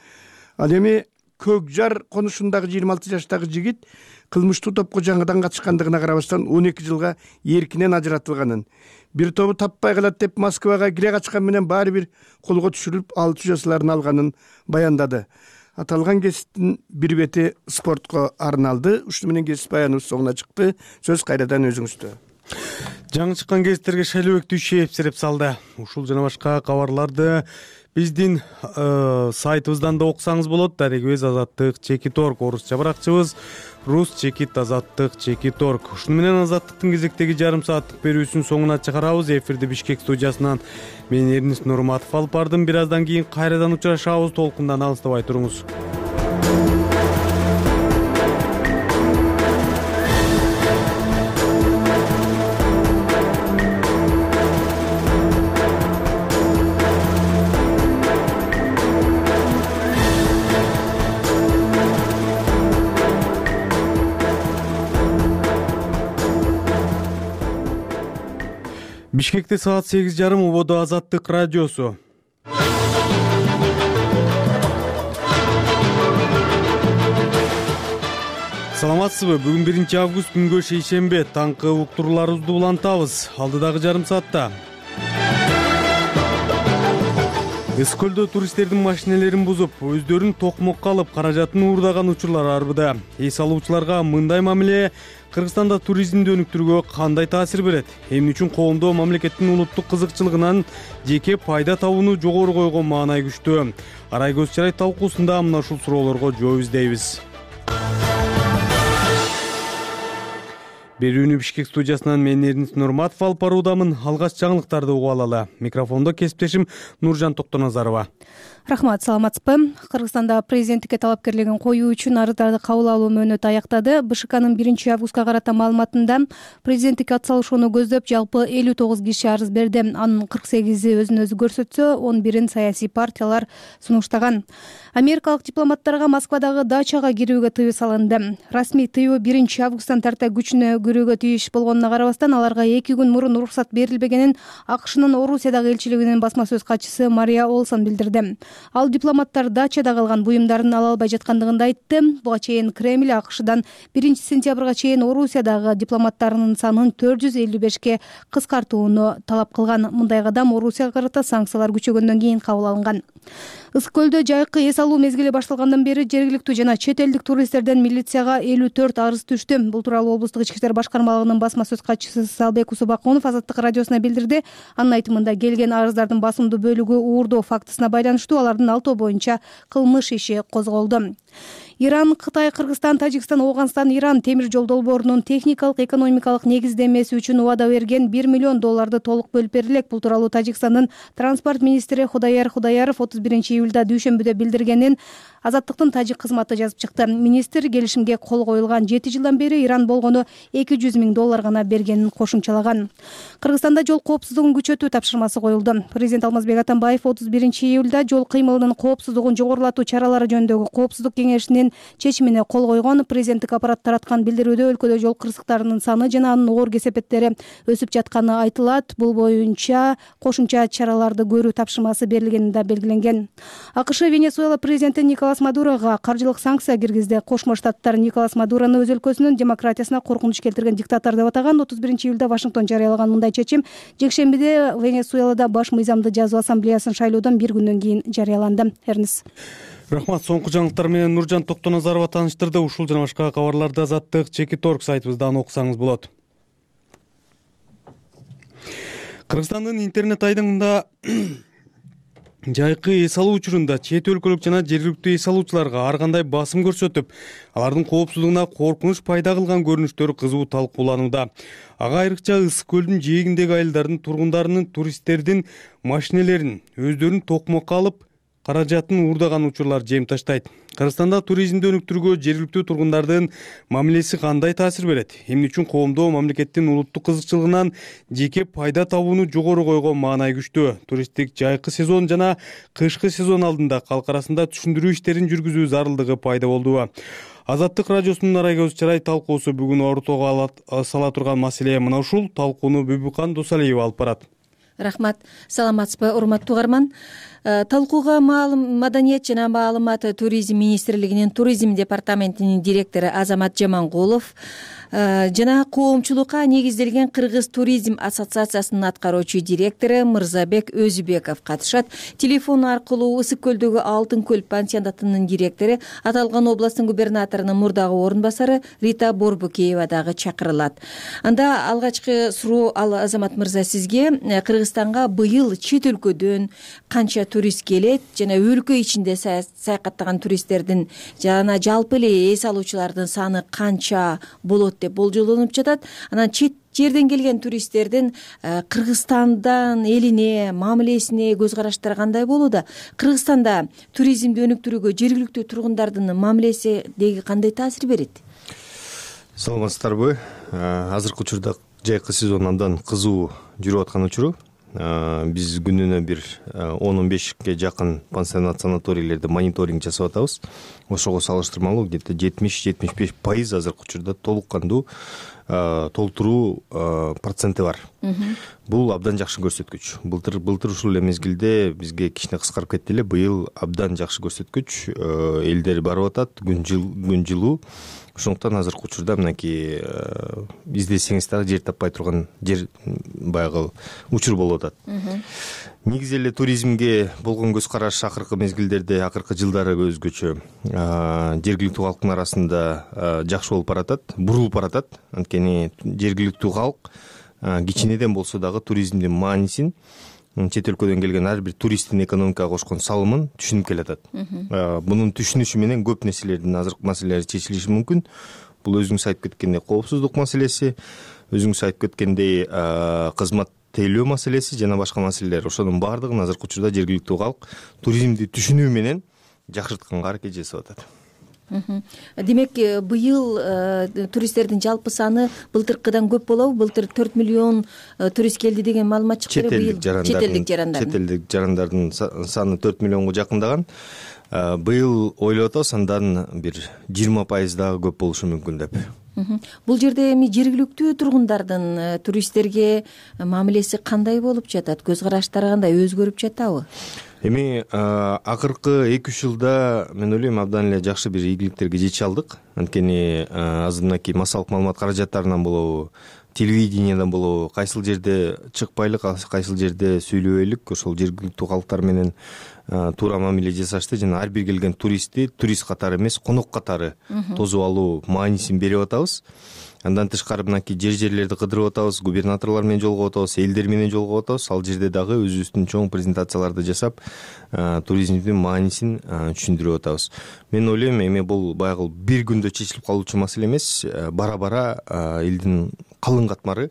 S15: ал эми Көк Жар конушундагы жыйырма алты жаштагы жигит кылмыштуу топко жаңыдан катышкандыгына карабастан он эки жылга эркинен ажыратылганын, бир тобу таппай калат деп Москвага кире качкан менен баары бир колго түшүрүлүп алты жазаларын алганын баяндады. Аталган кесиптин бир бети спортко арналды. Ушуну менен кесип баяныбыз соңуна чыкты. Сөз кайрадан өзүңүздө.
S1: Жаңы чыккан кесиптерге Шайлообек Дүйшеев сереп салды. Ушул жана башка кабарларды биздин сайтыбыздан да окусаңыз болот. Дарегибиз Азаттык Чекит орг, орусча баракчыбыз Рус Чекит Азаттык Чекит орг. Ушуну менен Азаттыктын кезектеги жарым сааттык берүүсүн соңуна чыгарабыз. Эфирди Бишкек студиясынан мен Эрнис Нурматов алып бардым. Бир аздан кийин кайрадан учурашабыз. Толкундан алыстабай туруңуз. Бишкекте саат сегиз жарым, Ободо Азаттык радиосу. Саламатсызбы? Бүгүн биринчи август, күнгө шейшембе. Таңкы уктурууларыбызды улантабыз. Алдыдагы жарым саатта Ысык көлдө туристтердин машинелерин бузуп, өздөрүн токмокко алып, каражатын уурдаган учурлар арбыда. Эс алуучуларга мындай мамиле Кыргызстанда туризмди өнүктүрүүгө кандай таасир берет? Эмне үчүн коомдо мамлекеттин улуттук кызыкчылыгынан жеке пайда табууну жогору койгон маанай күчтүү? Арай көз чарай талкуусунда мына ушул суроолорго жооп издейбиз. Берүүнү Бишкек студиясынан мен Эрнис Нурматов алып баруудамын. Алгач жаңылыктарды угуп алалы. Микрофондо кесиптешим Нуржан Токтоназарова.
S4: Рахмат, саламатсызбы? Кыргызстанда президенттикке талапкерлигин коюу үчүн арыздарды кабыл алуу мөөнөтү аяктады. БШКнын биринчи августка карата маалыматында президенттикке ат салышууну көздөп жалпы элүү тогуз киши арыз берди. Анын кырк сегизи өзүн өзү көрсөтсө, он бирин саясий партиялар сунуштаган. Америкалык дипломаттарга Москвадагы дачага кирүүгө тыюу салынды. Расмий тыюу биринчи августтан тарта күчүнө кирүүгө тийиш болгонуна карабастан, аларга эки күн мурун уруксат берилбегенин АКШнын Орусиядагы элчилигинин басма сөз катчысы Мария Олсон билдирди. Ал дипломаттар дачада калган буюмдарын ала албай жаткандыгын айтты. Буга чейин Кремль АКШдан биринчи сентябрга чейин Орусиядагы дипломаттарынын санын төрт жүз элүү бешке кыскартууну талап кылган. Мындай кадам Орусияга карата санкциялар күчөгөндөн кийин кабыл алынган. Ысык көлдө жайкы эс алуу мезгили башталгандан бери жергиликтүү жана чет элдик туристтерден милицияга элүү төрт арыз түштү. Бул тууралуу облустук ички иштер башкармалыгынын басма сөз катчысы Салбек Усубакунов Азаттык радиосуна билдирди. Анын айтымында келген арыздардын басымдуу бөлүгү уурдоо фактысына байланыштуу. Алардын алтоо боюнча кылмыш иши козголду. Иран, Кытай, Кыргызстан, Тажикстан, Ооганстан, Иран темир жол долбоорунун техникалык экономикалык негиздемеси үчүн убада берген бир миллион долларды толук бөлүп берилет. Бул тууралуу Тажикстандын транспорт министри Худаяр Худаяров отуз биринчи июлда дүйшөмбүдө билдиргенин Азаттыктын тажик кызматы жазып чыкты. Министр келишимге кол коюлган жети жылдан бери Иран болгону эки жүз миң доллар гана бергенин кошумчалаган. Кыргызстанда жол коопсуздугун күчөтүү тапшырмасы коюлду. Президент Алмазбек Атамбаев отуз биринчи июлда жол кыймылынын коопсуздугун жогорулатуу чаралары жөнүндөгү коопсуздук кеңешинин чечимине кол койгон. Президенттик аппарат тараткан билдирүүдө өлкөдө жол кырсыктарынын саны жана анын оор кесепеттери өсүп жатканы айтылат. Бул боюнча кошумча чараларды көрүү тапшырмасы берилгени да белгиленген. АКШ Венесуэла президенти Николас Мадурога каржылык санкция киргизди. Кошмо Штаттар Николас Мадурону өз өлкөсүнүн демократиясына коркунуч келтирген диктатор деп атаган. отуз биринчи июлда Вашингтон жарыялаган мындай чечим жекшембиде Венесуэлада баш мыйзамды жазуу ассамблеясын шайлоодон бир күндөн кийин жарыяланды. Эрнис.
S1: Рахмат. Соңку жаңылыктар менен Нуржан Токтоназарова тааныштырды. Ушул жана башка кабарларды Азаттык Чекит орг сайтыбыздан окусаңыз болот. Кыргызстандын интернет айдыңында жайкы эс алуу учурунда чет өлкөлүк жана жергиликтүү эс алуучуларга ар кандай басым көрсөтүп, алардын коопсуздугуна коркунуч пайда кылган көрүнүштөр кызуу талкууланууда. Ага айрыкча Ысык көлдүн жээгиндеги айылдардын тургундарынын туристтердин машинелерин өздөрүн токмокко алып, каражатын уурдаган учурлар жем таштайт. Кыргызстанда туризмди өнүктүрүүгө жергиликтүү тургундардын мамилеси кандай таасир берет? Эмне үчүн коомдо мамлекеттин улуттук кызыкчылыгынан жеке пайда табууну жогору койгон маанай күчтүү? Туристтик жайкы сезон жана кышкы сезон алдында калк арасында түшүндүрүү иштерин жүргүзүү зарылдыгы пайда болду. Азаттык радиосунун Арай көз чарай талкуусу бүгүн ортого сала турган маселе мына ушул. Талкууну Бүбүкан Досалиева алып барат.
S4: Рахмат. Саламатсызбы, урматтуу угарман. Талкууга Маданият жана маалымат туризм министрлигинин туризм департаментинин директору Азамат Жамангулов жана коомчулукка негизделген Кыргыз туризм ассоциациясынын аткаруучу директору Мырзабек Өзүбеков катышат. Телефон аркылуу Ысык көлдөгү Алтын көл пансионатынын директору, аталган областтын губернаторунун мурдагы орун басары Рита Борбукеева дагы чакырылат. Анда алгачкы суроо ал Азамат мырза сизге: Кыргызстанга быйыл чет өлкөдөн канча турист келет жана өлкө ичинде саякаттаган туристтердин жана жалпы эле эс алуучулардын саны канча болот деп болжолдонуп жатат? Анан чет жерден келген туристтердин Кыргызстандан элине, мамилесине көз караштары кандай болууда? Кыргызстанда туризмди өнүктүрүүгө жергиликтүү тургундардын мамилеси деги кандай таасир берет?
S16: Саламатсыздарбы? Азыркы учурда жайкы сезон абдан кызуу жүрүп аткан учуру. Биз күнүнө бир он он бешке жакын пансионат санаторийлерде мониторинг жасап атабыз. Ошого салыштырмалуу где-то жетимиш жетимиш беш пайыз азыркы учурда толук кандуу толтуруу проценти бар. Бул абдан жакшы көрсөткүч. Былтыр былтыр ушул эле мезгилде бизге кичине кыскарып кетти эле. Быйыл абдан жакшы көрсөткүч. Элдер барып атат, күн күн жылуу. Ошондуктан азыркы учурда мынакей издесеңиз дагы жер таппай турган жер баягы учур болуп атат. Негизи эле туризмге болгон көз караш акыркы мезгилдерде, акыркы жылдары өзгөчө. Жергиликтүү калктын арасында жакшы болуп баратат, бурулуп баратат. Анткени жергиликтүү калк кичинеден болсо дагы туризмдин маанисин, чет өлкөдөн келген ар бир туристтин экономикага кошкон салымын түшүнүп келатат. Мунун түшүнүшү менен көп нерселердин азыркы маселелери чечилиши мүмкүн. Бул өзүңүз айтып кеткендей коопсуздук маселеси, өзүңүз айтып кеткендей кызмат тейлөө маселеси жана башка маселелер. Ошонун баардыгын азыркы учурда жергиликтүү калк туризмди түшүнүү менен жакшыртканга аракет жасап атат.
S4: Демек, быйыл туристтердин жалпы саны былтыркыдан көп болобу? Былтыр төрт миллион турист келди деген маалымат чыкты.
S16: Четелдик жарандардын четелдик жарандардын саны төрт миллионго жакындаган. Быйыл ойлоп атабыз, андан бир жыйырма пайыз дагы көп болушу мүмкүн деп.
S4: Бул жерде эми жергиликтүү тургундардын туристтерге мамилеси кандай болуп жатат? Көз караштары кандай, өзгөрүп жатабы?
S16: Эми акыркы эки үч жылда мен ойлойм абдан эле жакшы бир ийгиликтерге жете алдык. Анткени азыр мынакей массалык маалымат каражаттарынан болобу, телевидениядан болобу, кайсыл жерде чыкпайлык, кайсыл жерде сүйлөбөйлүк, ошол жергиликтүү калктар менен туура мамиле жасашты жана ар бир келген туристти турист катары эмес, конок катары тосуп алуу маанисин берип атабыз. Андан тышкары мынакей жер жерлерди кыдырып атабыз, губернаторлор менен жолугуп атабыз, элдер менен жолугуп атабыз. Ал жерде дагы өзүбүздүн чоң презентацияларды жасап, туризмдин маанисин түшүндүрүп атабыз. Мен ойлойм, эми бул баягы бир күндө чечилип калуучу маселе эмес, бара-бара элдин калың катмары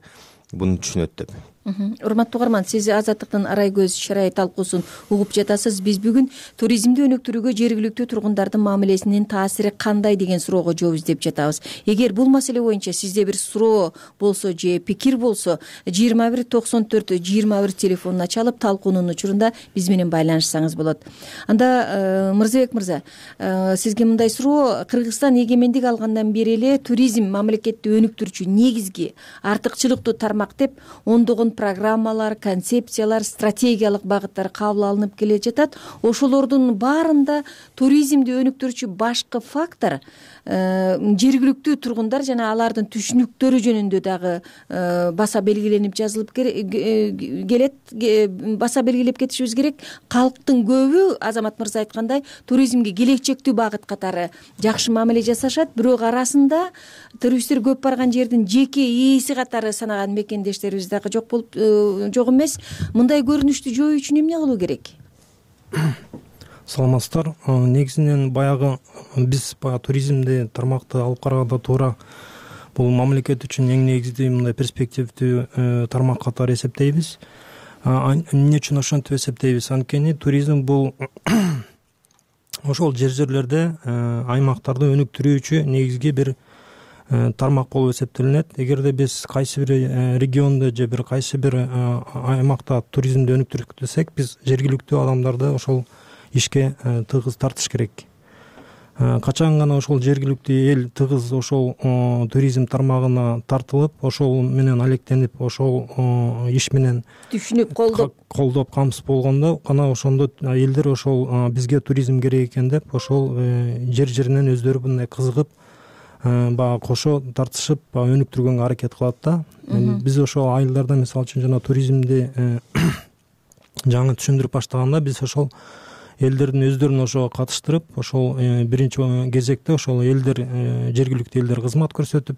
S16: буну түшүнөт деп.
S4: Урматтуу угарман, сиз Азаттыктын Арай көз шарай талкуусун угуп жатасыз. Биз бүгүн туризмди өнүктүрүүгө жергиликтүү тургундардын мамилесинин таасири кандай деген суроого жооп издеп жатабыз. Эгер бул маселе боюнча сизде бир суроо болсо же пикир болсо, жыйырма бир токсон төрт жыйырма бир телефонуна чалып талкуунун учурунда биз менен байланышсаңыз болот. Анда Мырзабек мырза, сизге мындай суроо: Кыргызстан эгемендик алгандан бери эле туризм мамлекетти өнүктүрүүчү негизги артыкчылыктуу тармак деп ондогон программалар, концепциялар, стратегиялык багыттар кабыл алынып келе жатат. Ошолордун баарында туризмди өнүктүрүүчү башкы фактор жергиликтүү тургундар жана алардын түшүнүктөрү жөнүндө дагы баса белгиленип жазылып келет, баса белгилеп кетишибиз керек. Калктын көбү, Азамат мырза айткандай, туризмге келечектүү багыт катары жакшы мамиле жасашат, бирок арасында туристтер көп барган жердин жеке ээси катары санаган мекендештерибиз дагы жок болуп жок эмес. Мындай көрүнүштү жоюу үчүн эмне кылуу керек?
S17: Саламатсыздар. Негизинен баягы биз баягы туризмди тармакты алып караганда туура бул мамлекет үчүн эң негизги мындай перспективдүү тармак катары эсептейбиз. Эмне үчүн ошентип эсептейбиз? Анткени туризм бул ошол жер жерлерде, аймактарды өнүктүрүүчү негизги бир тармак болуп эсептелинет. Эгерде биз кайсы бир региондо же бир кайсы бир аймакта туризмди өнүктүрсөк, биз жергиликтүү адамдарды ошол ишке тыгыз тартыш керек. качан гана ошол жергиликтүү эл тыгыз ошол туризм тармагына тартылып, ошол менен алектенип, ошол иш менен
S18: түшүнүп колдоп
S17: колдоп камсыз болгондо гана ошондо элдер ошол бизге туризм керек экен деп ошол жер жеринен өздөрү мындай кызыгып баягы кошо тартышып өнүктүргөнгө аракет кылат да. Биз ошол айылдарда мисалы үчүн жана туризмди жаңы түшүндүрүп баштаганда биз ошол элдердин өздөрүн ошого катыштырып, ошол биринчи кезекте ошол элдер жергиликтүү элдер кызмат көрсөтүп,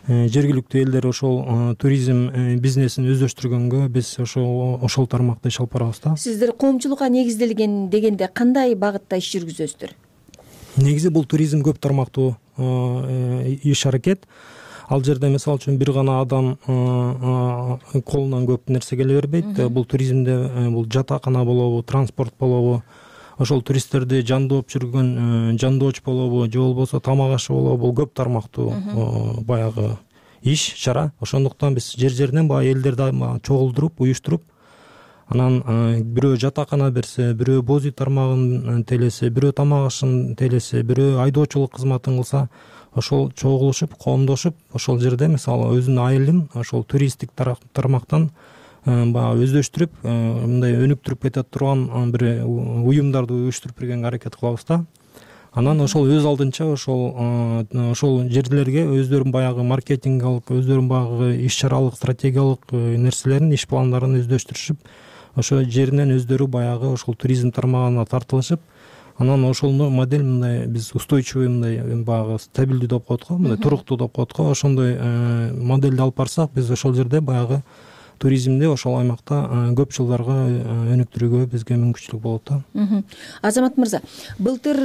S17: жергиликтүү элдер ошол туризм бизнесин өздөштүргөнгө биз ошол ошол тармакта иш алып барабыз да.
S18: Сиздер коомчулукка негизделген дегенде кандай багытта иш жүргүзөсүздөр?
S17: Негизи бул туризм көп тармактуу иш аракет. Ал жерде мисалы үчүн бир гана адам колунан көп нерсе келе бербейт. Бул туризмде бул жатакана болобу, транспорт болобу, ошол туристтерди жандооп жүргөн жандооч болобу, же болбосо тамак ашы болобу, бул көп тармактуу баягы иш, чара. Ошондуктан биз жер жеринен баягы элдерди чогулдуруп, уюштуруп, анан бирөө жатакана берсе, бирөө боз үй тармагын тейлесе, бирөө тамак ашын тейлесе, бирөө айдоочулук кызматын кылса, ошол чогулушуп, коомдошуп, ошол жерде мисалы өзүнүн айылын ошол туристтик тармактан баягы өздөштүрүп, мындай өнүктүрүп кете турган бир уюмдарды уюштуруп бергенге аракет кылабыз да. Анан ошол өз алдынча ошол ошол жерлерге өздөрүнүн баягы маркетингалык, өздөрүнүн баягы иш-чаралык, стратегиялык нерселерин, иш пландарын өздөштүрүшүп, ошол жеринен өздөрү баягы ошол туризм тармагына тартылышып, анан ошол модель мындай биз устойчивый мындай баягы стабилдүү деп коет го, мындай туруктуу деп коет го. Ошондой модельди алып барсак, биз ошол жерде баягы туризмди ошол аймакта көп жылдарга өнүктүрүүгө бизге мүмкүнчүлүк болот да.
S18: Азамат мырза, былтыр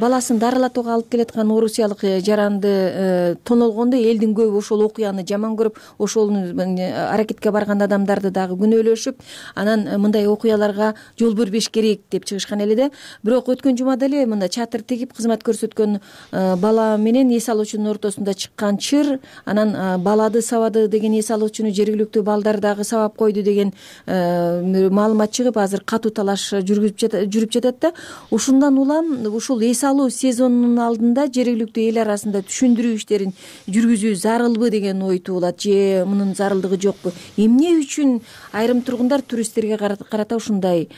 S18: баласын дарылатууга алып келаткан орусиялык жаранды тонолгондо элдин көбү ошол окуяны жаман көрүп, ошол аракетке барган адамдарды дагы күнөөлөшүп, анан мындай окуяларга жол бербеш керек деп чыгышкан эле да. Бирок өткөн жумада эле мында чатыр тигип кызмат көрсөткөн бала менен эс алуучунун ортосунда чыккан чыр, анан балады сабады деген эс алуучуну жергиликтүү балдар дагы сабап койду деген маалымат чыгып, азыр катуу талаш жүрүп жатат да. Ушундан улам ушул эс алуу сезонунун алдында жергиликтүү эл арасында түшүндүрүү иштерин жүргүзүү зарылбы деген ой туулат, же мунун зарылдыгы жокпу? Эмне үчүн айрым тургундар туристтерге карата ушундай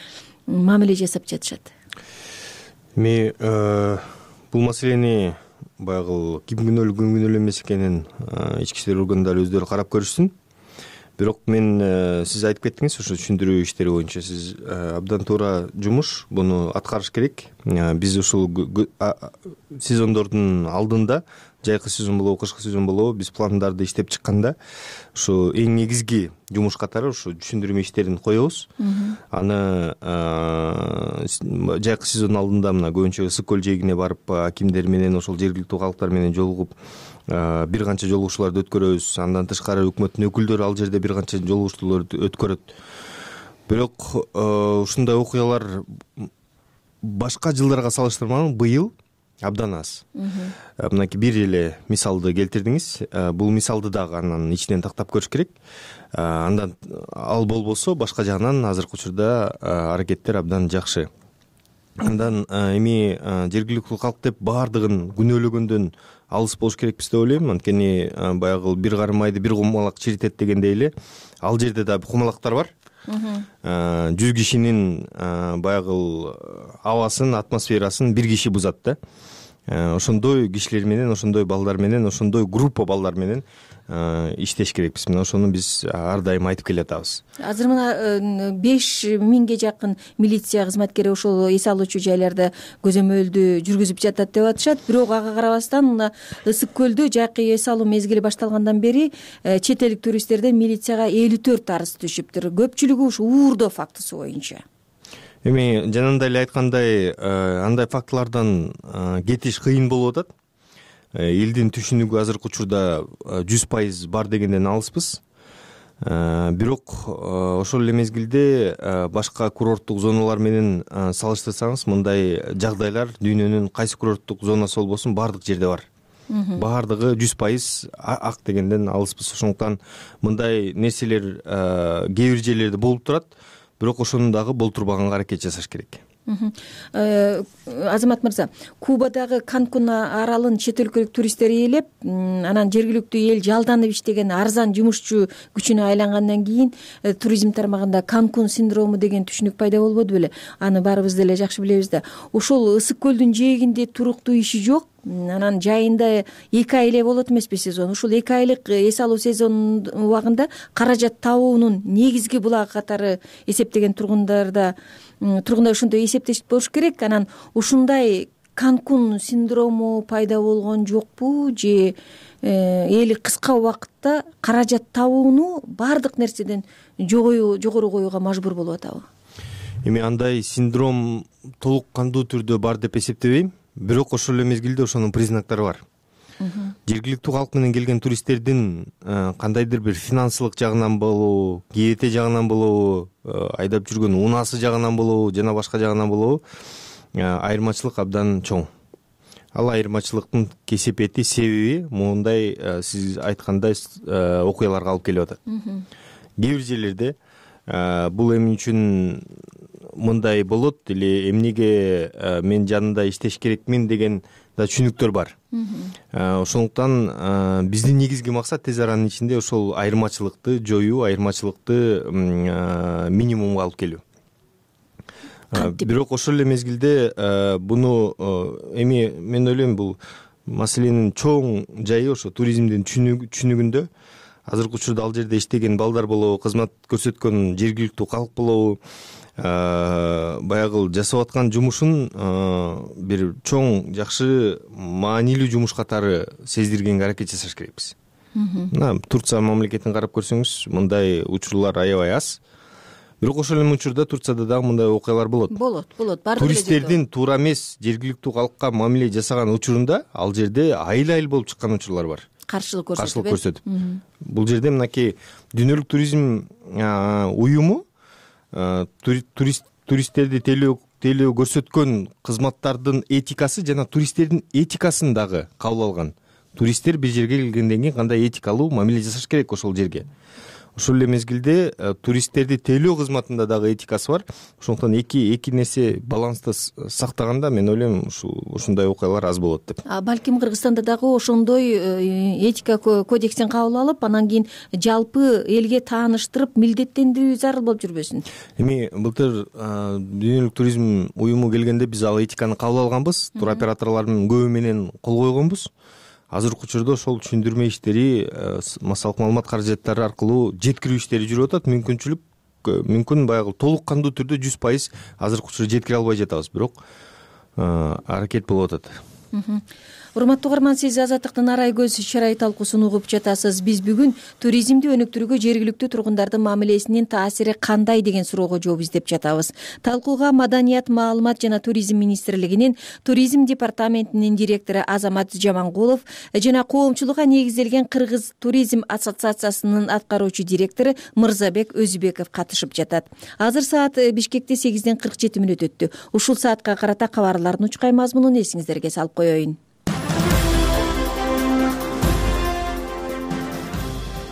S18: мамиле жасап жатышат?
S16: Эми бул маселени баягы ким күнөөлүү, ким күнөөлүү эмес экенин ички иштер органдары өздөрү карап көрүшсүн. Бирок мен сиз айтып кеттиңиз, ошо түшүндүрүү иштери боюнча сиз абдан туура жумуш, буну аткарыш керек. Биз ушул сезондордун алдында, жайкы сезон болобу, кышкы сезон болобу, биз пландарды иштеп чыкканда ушу эң негизги жумуш катары ушу түшүндүрмө иштерин коебуз. Аны жайкы сезондун алдында мына көбүнчө Ысык көл жээгине барып, акимдер менен, ошол жергиликтүү калктар менен жолугуп бир канча жолугушууларды өткөрөбүз. Андан тышкары өкмөттүн өкүлдөрү ал жерде бир канча жолугушууларды өткөрөт. Бирок ушундай окуялар башка жылдарга салыштырмалуу быйыл абдан аз. Мынакей бир эле мисалды келтирдиңиз. Бул мисалды дагы анан ичинен тактап көрүш керек. Андан ал болбосо башка жагынан азыркы учурда аракеттер абдан жакшы. Андан эми жергиликтүү калк деп баардыгын күнөөлөгөндөн алыс болуш керекпиз деп ойлойм. Анткени баягы бир карым айды бир кумалак чиритет дегендей эле ал жерде да кумалактар бар. Жүз кишинин баягы абасын, атмосферасын бир киши бузат да. Ошондой кишилер менен, ошондой балдар менен, ошондой группа балдар менен иштеш керекпиз. Мына ошону биз ар дайым айтып келатабыз.
S18: Азыр мына беш миңге жакын милиция кызматкери ошол эс алуучу жайларда көзөмөлдү жүргүзүп жатат деп атышат. Бирок ага карабастан мына Ысык көлдө жайкы эс алуу мезгили башталгандан бери чет элдик туристтерден милицияга элүү төрт арыз түшүптүр. Көпчүлүгү ушу уурдоо фактысы боюнча.
S16: Эми жанында эле айткандай, андай фактылардан кетиш кыйын болуп атат. Элдин түшүнүгү азыркы учурда жүз пайыз бар дегенден алыспыз. Бирок ошол эле мезгилде башка курорттук зоналар менен салыштырсаңыз, мындай жагдайлар дүйнөнүн кайсы курорттук зонасы болбосун баардык жерде бар. Баардыгы жүз пайыз ак дегенден алыспыз. Ошондуктан мындай нерселер кээ бир жерлерде болуп турат. Бирок ошону дагы болтурбаганга аракет жасаш керек.
S18: Азамат мырза, Кубадагы Канкун аралын чет өлкөлүк туристтер ээлеп, анан жергиликтүү эл жалданып иштеген арзан жумушчу күчүнө айлангандан кийин туризм тармагында Канкун синдрому деген түшүнүк пайда болбоду беле? Аны баарыбыз деле жакшы билебиз да. Ошол ысык көлдүн жээгинде туруктуу иши жок, анан жайында эки ай эле болот эмеспи сезон. Ушул эки айлык эс алуу сезонунун убагында каражат табуунун негизги булагы катары эсептеген тургундарда тургундар ошондой эсептешип болуш керек. Анан ушундай Канкун синдрому пайда болгон жокпу же эли кыска убакытта каражат табууну баардык нерседен жогору коюуга мажбур болуп атабы?
S16: Эми андай синдром толук кандуу түрдө бар деп эсептебейм, бирок ошол эле мезгилде ошонун признактары бар. Жергиликтүү калк менен келген туристтердин кандайдыр бир финансылык жагынан болобу, кээте жагынан болобу, айдап жүргөн унаасы жагынан болобу, жана башка жагынан болобу, айырмачылык абдан чоң. Ал айырмачылыктын кесепети, себеби моундай сиз айткандай окуяларга алып келип атат. Кээ бир жерлерде бул эмне үчүн мындай болот или эмнеге мен жанында иштеш керекмин деген да түшүнүктөр бар. Ошондуктан биздин негизги максат тез аранын ичинде ошол айырмачылыкты жоюу, айырмачылыкты минимумга алып келүү. Бирок ошол эле мезгилде буну эми мен ойлойм бул маселенин чоң жайы ошо туризмдин түшүнүгүндө. Азыркы учурда ал жерде иштеген балдар болобу, кызмат көрсөткөн жергиликтүү калк болобу, баягы жасап аткан жумушун бир чоң, жакшы, маанилүү жумуш катары сездиргенге аракет жасаш керекпиз. Мына Турция мамлекетин карап көрсөңүз, мындай учурлар аябай аз. Бирок ошол эле учурда Турцияда дагы мындай окуялар болот.
S18: Болот, болот.
S16: Туристтердин туура эмес жергиликтүү калкка мамиле жасаган учурунда ал жерде айыл-айыл болуп чыккан учурлар бар.
S18: Каршылык көрсөтүп.
S16: Каршылык көрсөтүп. Бул жерде мынакей дүйнөлүк туризм уюму туристтерди тейлөө көрсөткөн кызматтардын этикасы жана туристтердин этикасын дагы кабыл алган. Туристтер бир жерге келгенден кийин кандай этикалуу мамиле жасаш керек ошол жерге. Ошол эле мезгилде туристтерди тейлөө кызматында дагы этикасы бар. Ошондуктан эки эки нерсе баланста сактаганда мен ойлойм ушундай окуялар аз болот деп.
S18: Балким Кыргызстанда дагы ошондой этика кодексин кабыл алып, анан кийин жалпы элге тааныштырып, милдеттендирүү зарыл болуп жүрбөсүн.
S16: Эми былтыр дүйнөлүк туризм уюму келгенде биз ал этиканы кабыл алганбыз, туроператорлордун көбү менен кол койгонбуз. Азыркы учурда ошол түшүндүрмө иштери, массалык маалымат каражаттары аркылуу жеткирүү иштери жүрүп атат. Мүмкүнчүлүк мүмкүн баягы толук кандуу түрдө жүз пайыз азыркы учурда жеткире албай жатабыз, бирок аракет болуп атат.
S18: Урматтуу угарман, сиз Азаттыктын арай көз чарай талкуусун угуп жатасыз. Биз бүгүн туризмди өнүктүрүүгө жергиликтүү тургундардын мамилесинин таасири кандай деген суроого жооп издеп жатабыз. Талкууга Маданият, маалымат жана туризм министрлигинин туризм департаментинин директору Азамат Жамангулов жана коомчулукка негизделген Кыргыз туризм ассоциациясынын аткаруучу директору Мырзабек Өзүбеков катышып жатат. Азыр саат Бишкекте сегизден кырк жети мүнөт өттү. Ушул саатка карата кабарлардын учкай мазмунун эсиңиздерге салып коеюн.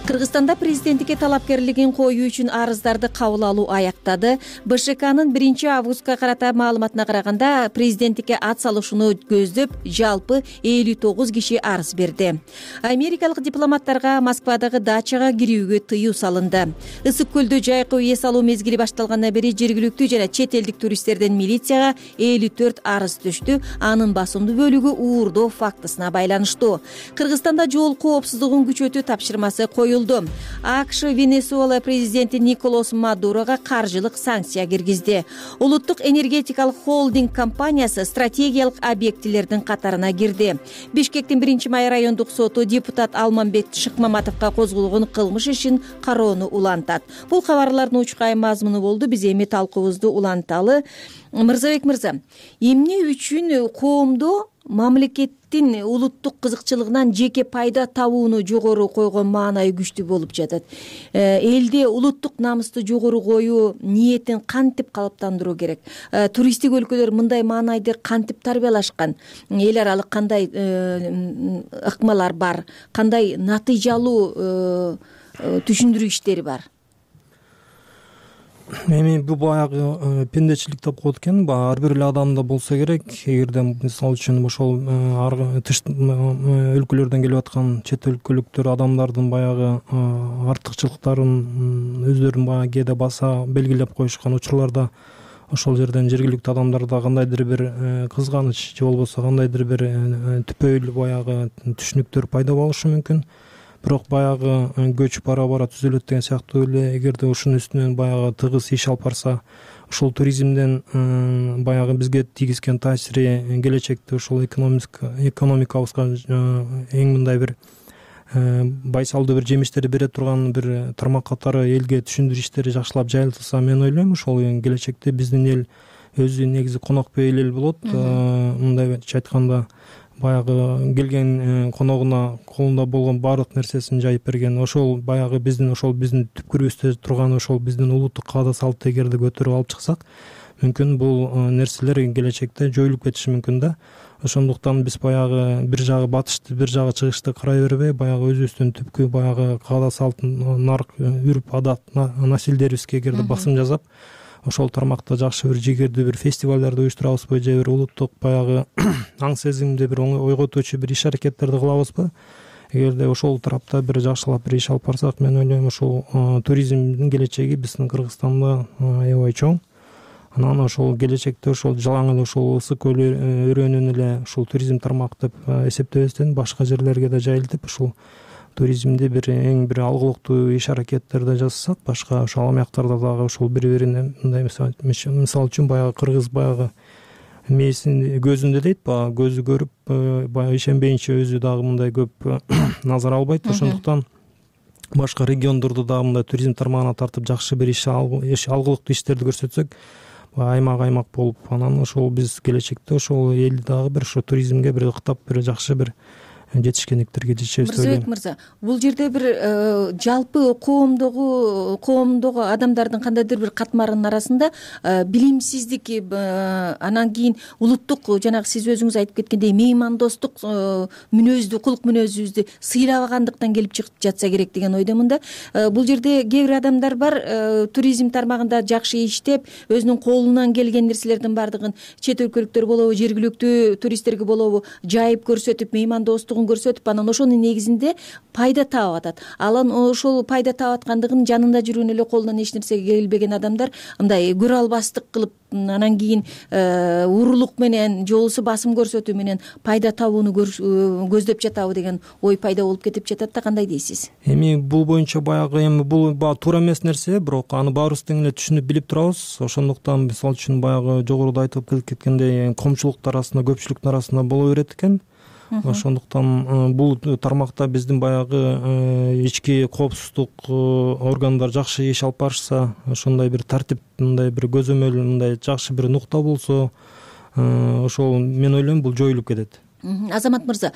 S18: Кыргызстанда президенттикке талапкерлигин коюу үчүн арыздарды кабыл алуу аяктады. БШКнын биринчи августка карата маалыматына караганда, президенттикке ат салышууну көздөп жалпы элүү тогуз киши арыз берди. Америкалык дипломаттарга Москвадагы дачага кирүүгө тыюу салынды. Ысык көлдө жайкы эс алуу мезгили башталгандан бери жергиликтүү жана чет элдик туристтерден милицияга элүү төрт арыз түштү. Анын басымдуу бөлүгү уурдоо фактысына байланыштуу. Кыргызстанда жол коопсуздугун күчөтүү тапшырмасы коюлду. АКШ Венесуэла президенти Николас Мадурога каржылык санкция киргизди. Улуттук энергетикалык холдинг компаниясы стратегиялык объектилердин катарына кирди. Бишкектин биринчи май райондук соту депутат Алмамбек Шыкмаматовго козголгон кылмыш ишин кароону улантат. Бул кабарлардын учкай мазмуну болду. Биз эми талкуубузду уланталы. Мырзабек мырза, эмне үчүн коомдо мамлекеттин улуттук кызыкчылыгынан жеке пайда табууну жогору койгон маанайы күчтүү болуп жатат? Элде улуттук намысты жогору коюу ниетин кантип калыптандыруу керек? Туристтик өлкөлөр мындай маанайды кантип тарбиялашкан? Эл аралык кандай ыкмалар бар? Кандай натыйжалуу түшүндүрүү иштери бар?
S17: эми бул баягы пендечилик деп коет экен. Баягы ар бир эле адамда болсо керек. Эгерде мисалы үчүн ошол тыш өлкөлөрдөн келип аткан чет өлкөлүктөр адамдардын баягы артыкчылыктарын өздөрүнүн баягы кээде баса белгилеп коюшкан учурларда ошол жерден жергиликтүү адамдарда кандайдыр бир кызганыч же болбосо кандайдыр бир түпөйлүү баягы түшүнүктөр пайда болушу мүмкүн. Бирок баягы көч бара бара түзөлөт деген сыяктуу эле эгерде ушунун үстүнөн баягы тыгыз иш алып барса, ошол туризмден баягы бизге тийгизген таасири келечекте ошол экономикабызга эң мындай бир байсалдуу бир жемиштерди бере турган бир тармак катары элге түшүндүрүү иштери жакшылап жайылтылса, мен ойлойм ошол келечекте биздин эл өзү негизи конокпей эл болот. Мындайча айтканда баягы келген коногуна колунда болгон баардык нерсесин жайып берген, ошол баягы биздин ошол биздин түпкүрүбүздө турган ошол биздин улуттук каада салтты эгерде көтөрүп алып чыксак, мүмкүн бул нерселер келечекте жоюлуп кетиши мүмкүн да. Ошондуктан биз баягы бир жагы батышты, бир жагы чыгышты карай бербей, баягы өзүбүздүн түпкү баягы каада салт, нарк, үрп адат, насилдерибизге эгерде басым жасап, ошол тармакта жакшы бир жигердүү бир фестивалдарды уюштурабызбы же бир улуттук баягы аң сезимди бир ойготуучу бир иш аракеттерди кылабызбы. Эгерде ошол тарапта бир жакшылап бир иш алып барсак, мен ойлойм ошол туризмдин келечеги биздин Кыргызстанда аябай чоң. Анан ошол келечекте ошол жалаң эле ошол ысык көл өрөөнүн эле ушул туризм тармак деп эсептебестен башка жерлерге да жайылтып, ушул туризмди бир эң бир алгылыктуу иш аракеттерди жасасак, башка ошол амяктарда дагы ошол бири-бирине мындай мисалы үчүн баягы кыргыз баягы мээсин көзүндө дейт, баягы көзү көрүп баягы ишенбейинче өзү дагы мындай көп назар албайт. Ошондуктан башка региондорду дагы мындай туризм тармагына тартып жакшы бир иш алгылыктуу иштерди көрсөтсөк, аймак аймак болуп, анан ошол биз келечекте ошол элди дагы бир ошо туризмге бир ыктап бир жакшы бир жетишкендиктерге жетишебиз деп ойлойм.
S18: Мырзабек мырза, бул жерде бир жалпы коомдогу коомдогу адамдардын кандайдыр бир катмарынын арасында билимсиздик, анан кийин улуттук жанагы сиз өзүңүз айтып кеткендей меймандостук мүнөздү, кулук мүнөзүбүздү сыйлабагандыктан келип чыгып жатса керек деген ойдомун да. Бул жерде кээ бир адамдар бар, туризм тармагында жакшы иштеп, өзүнүн колунан келген нерселердин баардыгын чет өлкөлүктөр болобу, жергиликтүү туристтерге болобу жайып көрсөтүп, меймандостук көрсөтүп, анан ошонун негизинде пайда таап атат. Алан ошол пайда таап аткандыгын жанында жүргөн эле колунан эч нерсе келбеген адамдар мындай көрө албастык кылып, анан кийин урулук менен же болбосо басым көрсөтүү менен пайда табууну көздөп жатабы деген ой пайда болуп кетип жатат да. Кандай дейсиз?
S17: Эми бул боюнча баягы эми бул туура эмес нерсе, бирок аны баарыбыз тең эле түшүнүп билип турабыз. Ошондуктан мисалы үчүн баягы жогоруда айтып кеткендей коомчулуктун арасында, көпчүлүктүн арасында боло берет экен. Ошондуктан бул тармакта биздин баягы ички коопсуздук органдар жакшы иш алып барышса, ошондой бир тартип, мындай бир көзөмөл, мындай жакшы бир нукта болсо, ошол мен ойлойм бул жоюлуп кетет.
S18: Азамат мырза,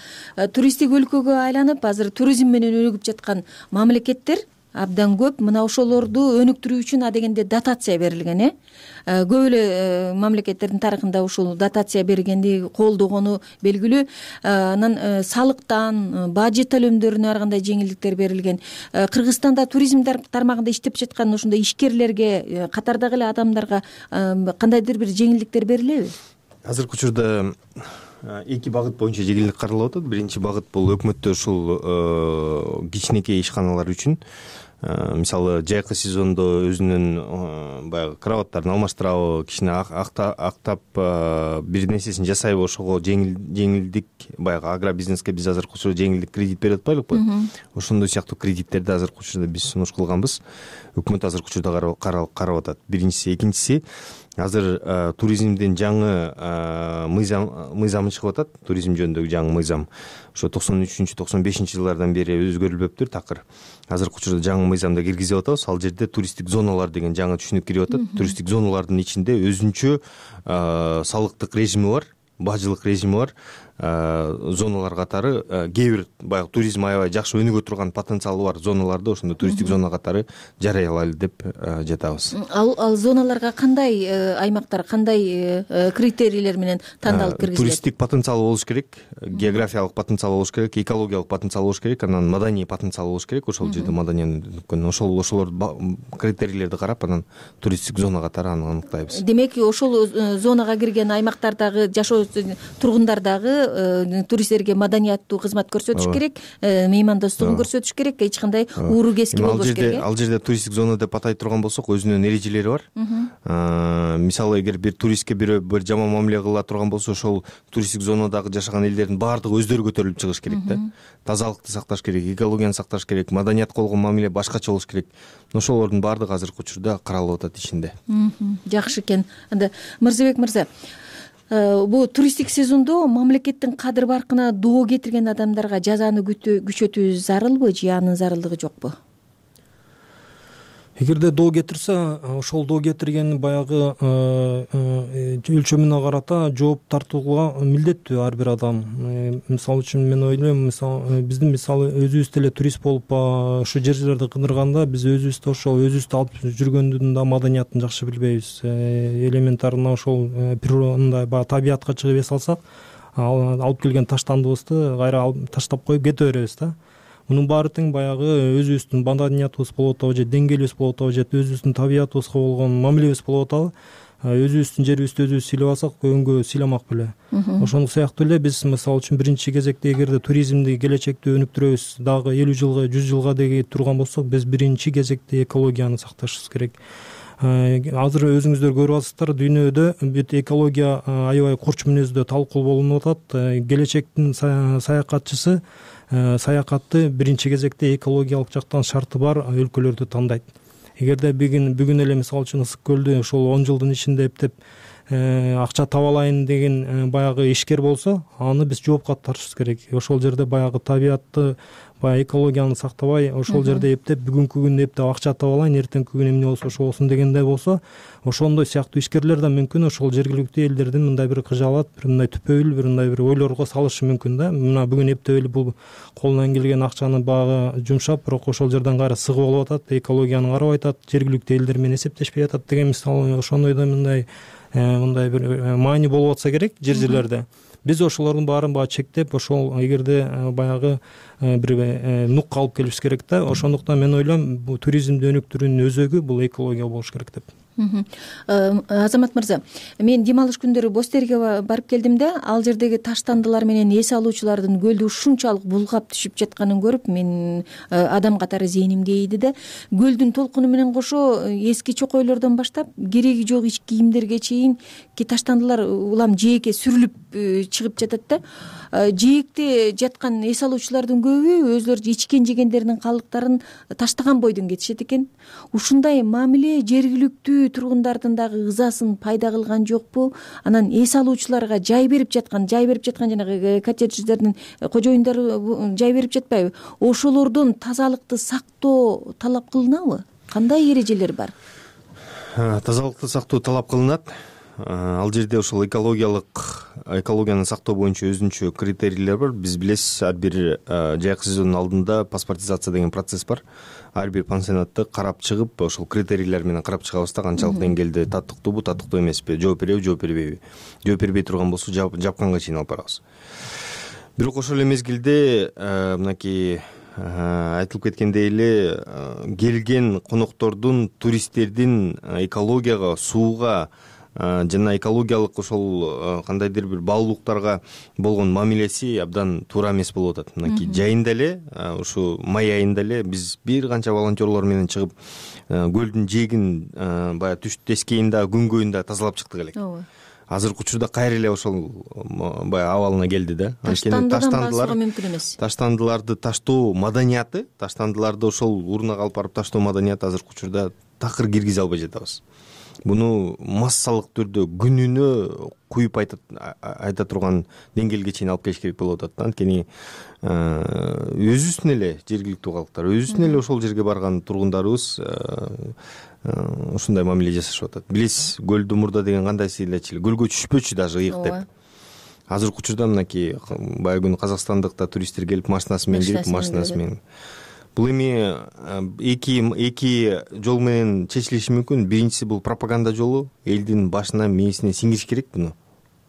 S18: туристтик өлкөгө айланып, азыр туризм менен өнүгүп жаткан мамлекеттер абдан көп. Мына ошолорду өнүктүрүү үчүн адегенде дотация берилген, э? Көп эле мамлекеттердин тарыхында ушул дотация бергенди колдогону белгилүү. Анан салыктан, бажет төлөмдөрүнө ар кандай жеңилдиктер берилген. Кыргызстанда туризм тармагында иштеп жаткан ошондой ишкерлерге, катардагы эле адамдарга кандайдыр бир жеңилдиктер берилеби?
S16: Азыркы учурда эки багыт боюнча жеңилдик каралып атат. Биринчи багыт бул өкмөттө ушул кичинекей ишканалар үчүн, мисалы жайкы сезондо өзүнүн баягы кроваттарын алмаштырабы, кичине актап бир нерсесин жасайбы, ошого жеңилдик, баягы агробизнеске биз азыркы учурда жеңилдик кредит берип атпайлыкпы? Ошондой сыяктуу кредиттерди азыркы учурда биз сунуш кылганбыз. Өкмөт азыркы учурда карап атат. Биринчиси, экинчиси, азыр туризмдин жаңы мыйзамы чыгып атат. Туризм жөнүндөгү жаңы мыйзам ошо токсон үчүнчү токсон бешинчи жылдардан бери өзгөрүлбөптүр такыр. Азыркы учурда жаңы мыйзамда киргизип атабыз. Ал жерде туристтик зоналар деген жаңы түшүнүк кирип атат. Туристтик зоналардын ичинде өзүнчө салыктык режими бар, бажылык режими бар. зоналар катары кээ бир баягы туризм аябай жакшы өнүгө турган потенциалы бар зоналарды ошондой туристтик зона катары жарыялайлы деп жатабыз.
S18: Ал ал зоналарга кандай аймактар, кандай критерийлер менен тандалып киргизилет?
S16: Туристтик потенциалы болуш керек, географиялык потенциалы болуш керек, экологиялык потенциалы болуш керек, анан маданий потенциалы болуш керек. Ошол жерде маданиянын ошол ошолор критерийлерди карап анан туристтик зона катары аныктайбыз.
S18: Демек, ошол зонага кирген аймактардагы жашоо тургундар дагы туристтерге маданияттуу кызмат көрсөтүш керек, меймандостугун көрсөтүш керек, эч кандай ууру кески болбош керек.
S16: Ал жерде туристтик зона деп атай турган болсок, өзүнүн эрежелери бар. Мисалы, эгер бир туристке бирөө бир жаман мамиле кыла турган болсо, ошол туристтик зонадагы жашаган элдердин баардыгы өздөрү көтөрүлүп чыгыш керек да. Тазалыкты сакташ керек, экологияны сакташ керек, маданиятка болгон мамиле башкача болуш керек. Ошолордун баардыгы азыркы учурда каралып атат ишинде.
S18: Жакшы экен. Анда Мырзабек мырза, бул туристтик сезондо мамлекеттин кадыр баркына доо кетирген адамдарга жазаны күчөтүү зарылбы же анын зарылдыгы жокпу?
S17: Эгерде доо кетирсе, ошол доо кетирген баягы өлчөмүнө карата жооп тартууга милдеттүү ар бир адам. Мисалы үчүн мен ойлойм, мисалы биздин мисалы өзүбүз деле турист болуп ушу жерлерди кыдырганда биз өзүбүздү ошол өзүбүздү алып жүргөндүн да маданиятын жакшы билбейбиз. Элементарно ошол природный баягы табиятка чыгып эс алсак, алып келген таштандыбызды кайра таштап коюп кете беребиз да. Мунун баары тең баягы өзүбүздүн маданиятыбыз болуп атабы же деңгээлибиз болуп атабы же өзүбүздүн табиятыбызга болгон мамилебиз болуп атабы, өзүбүздүн жерибизди өзүбүз сыйлап алсак көнгө сыйламак беле. Ошондой сыяктуу эле биз мисалы үчүн биринчи кезекте эгерде туризмди келечекте өнүктүрөбүз, дагы элүү жылга, жүз жылга деги турган болсок, биз биринчи кезекте экологияны сакташыбыз керек. Азыр өзүңүздөр көрүп атасыздар, дүйнөдө бүт экология аябай курч мүнөздө талкуу болуп атат. Келечектин саякатчысы саякатты биринчи кезекте экологиялык жактан шарты бар өлкөлөрдү тандайт. Эгерде бүгүн бүгүн эле мисалы үчүн Ысык көлдү ошол он жылдын ичинде эптеп акча таба алайын деген баягы ишкер болсо, аны биз жоопка тартышыбыз керек. Ошол жерде баягы табиятты, баягы экологияны сактабай, ошол жерде эптеп бүгүнкү күндө эптеп акча таба алайын, эртеңки күнү эмне болсо ошо болсун дегендей болсо, ошондой сыяктуу ишкерлер да мүмкүн ошол жергиликтүү элдердин мындай бир кыжаалат, бир мындай түпөйүл, бир мындай бир ойлорго салышы мүмкүн да. Мына бүгүн эптеп эле бул колунан келген акчаны багы жумшап, бирок ошол жерден кайра сыгып алып атат, экологияны карабай атат, жергиликтүү элдер менен эсептешпей атат деген мисалы ошондой да мындай мындай бир маани болуп атса керек жер жерлерде. Биз ошолордун баарын баягы чектеп, ошол эгерде баягы бир нукка алып келишибиз керек да. Ошондуктан мен ойлойм, бул туризмди өнүктүрүүнүн өзөгү бул экология болуш керек деп.
S18: Азамат мырза, мен дем алыш күндөрү Бостерге барып келдим да, ал жердеги таштандылар менен эс алуучулардын көлдү ушунчалык булгап түшүп жатканын көрүп, мен адам катары зээнимге ийди да. Көлдүн толкуну менен кошо эски чокойлордон баштап кереги жок ич кийимдерге чейин ки таштандылар улам жээкке сүрүлүп чыгып жатат да. Жээкте жаткан эс алуучулардын көбү өзлөрү ичкен жегендеринин калдыктарын таштаган бойдон кетишет экен. Ушундай мамиле жергиликтүү тургундардын дагы ызасын пайда кылган жокпу? Анан эс алуучуларга жай берип жаткан, жай берип жаткан жанагы коттедждердин кожоюндары жай берип жатпайбы? Ошолордон тазалыкты сактоо талап кылынабы? Кандай эрежелер бар?
S16: Тазалыкты сактоо талап кылынат. Ал жерде ошол экологиялык экологияны сактоо боюнча өзүнчө критерийлер бар. Биз билесиз, ар бир жайкы сезондун алдында паспортизация деген процесс бар. Ар бир пансионатты карап чыгып, ошол критерийлер менен карап чыгабыз да, канчалык деңгээлде татыктуубу, татыктуу эмеспи, жооп береби, жооп бербейби. Жооп бербей турган болсо жапканга чейин алып барабыз. Бирок ошол эле мезгилде мынакей айтылып кеткендей эле келген коноктордун, туристтердин экологияга, сууга жана экологиялык ошол кандайдыр бир баалуулуктарга болгон мамилеси абдан туура эмес болуп атат. Мынакей жайында эле, ушу май айында эле биз бир канча волонтерлор менен чыгып көлдүн жээгин баягы түш тескейин да, күнгөйүн да тазалап чыктык элек. Азыркы учурда кайра эле ошол баягы абалына келди да.
S18: Анткени таштандылар мүмкүн эмес.
S16: Таштандыларды таштоо маданияты, таштандыларды ошол урнага алып барып таштоо маданияты азыркы учурда такыр киргизе албай жатабыз. Буну массалык түрдө күнүнө куюп айта турган деңгээлге чейин алып келиш керек болуп атат. Анткени өзүбүздүн эле жергиликтүү калктар, өзүбүздүн эле ошол жерге барган тургундарыбыз ушундай мамиле жасашып атат. Билесиз, көлдү мурда деген кандай сыйлачы эле, көлгө түшпөчү даже ыйык деп. азыркы учурда мынакей баягы күнү казакстандык да туристтер келип машинасы менен кирип машинасы менен бул эми эки эки жол менен чечилиши мүмкүн. Биринчиси бул пропаганда жолу, элдин башына мээсине сиңириш керек буну,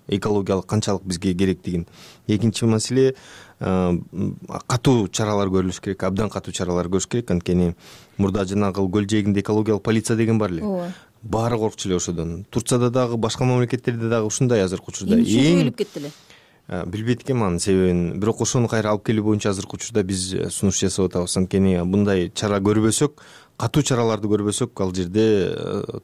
S16: экологиялык канчалык бизге керектигин. Экинчи маселе катуу чаралар көрүлүш керек, абдан катуу чаралар көрүш керек. Анткени мурда жанагы көл жээгинде экологиялык полиция деген бар эле. Ооба. Баары коркчу эле ошодон. Турцияда дагы, башка мамлекеттерде дагы ушундай азыркы учурда.
S18: Эмне үчүн жоюлуп кетти эле?
S16: Билбейт экенмин анын себебин. Бирок ошону кайра алып келүү боюнча азыркы учурда биз сунуш жасап атабыз. Анткени мындай чара көрбөсөк, катуу чараларды көрбөсөк, ал жерде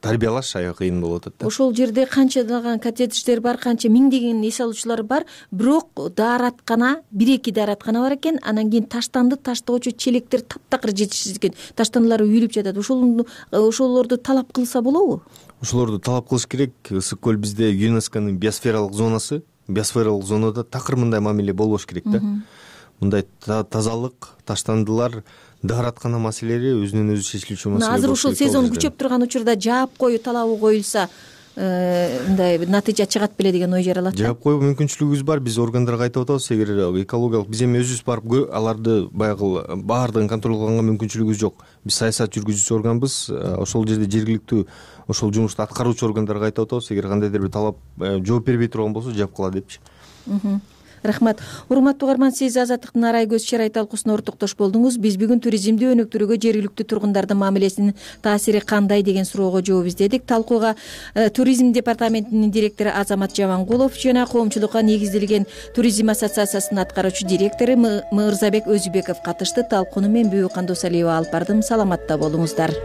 S16: тарбиялаш аябай кыйын болуп атат да.
S18: Ошол жерде канчалаган коттедждер бар, канча миңдеген эс алуучулар бар, бирок даараткана, бир-эки даараткана бар экен. Анан кийин таштанды, таштоочу челектер таптакыр жетишсиз экен. Таштандылар үйүлүп жатат. Ошол ошолорду талап кылса болобу? Ошолорду
S16: талап кылыш керек. Ысык көл бизде ЮНЕСКОнун биосфералык зонасы. Биосфералык зонада такыр мындай мамиле болбош керек да. Мындай тазалык, таштандылар, даараткана маселелери өзүнөн өзү чечилүүчү маселе.
S18: Азыр ушул сезон күчөп турган учурда жаап коюу талабы коюлса, мындай натыйжа чыгат беле деген ой жаралат.
S16: Жаап коюу мүмкүнчүлүгүбүз бар. Биз органдарга айтып атабыз, эгер экологиялык биз эми өзүбүз барып аларды баягы баардыгын контролдоого мүмкүнчүлүгүбүз жок. Биз саясат жүргүзүүчү органбыз. Ошол жерде жергиликтүү ошол жумушту аткаруучу органдарга айтып атабыз. Эгер кандайдыр бир талап жооп бербей турган болсо, жаап кала депчи.
S18: Рахмат. Урматтуу угарман, сиз Азаттыктын арай көз чарай талкуусуна ортоктош болдуңуз. Биз бүгүн туризмди өнүктүрүүгө жергиликтүү тургундардын мамилесинин таасири кандай деген суроого жооп издедик. Талкууга туризм департаментинин директору Азамат Жамангулов жана коомчулукка негизделген туризм ассоциациясынын аткаруучу директору Мырзабек Өзүбеков катышты. Талкууну мен Бүбү Кандосалиева алып бардым. Саламатта болуңуздар.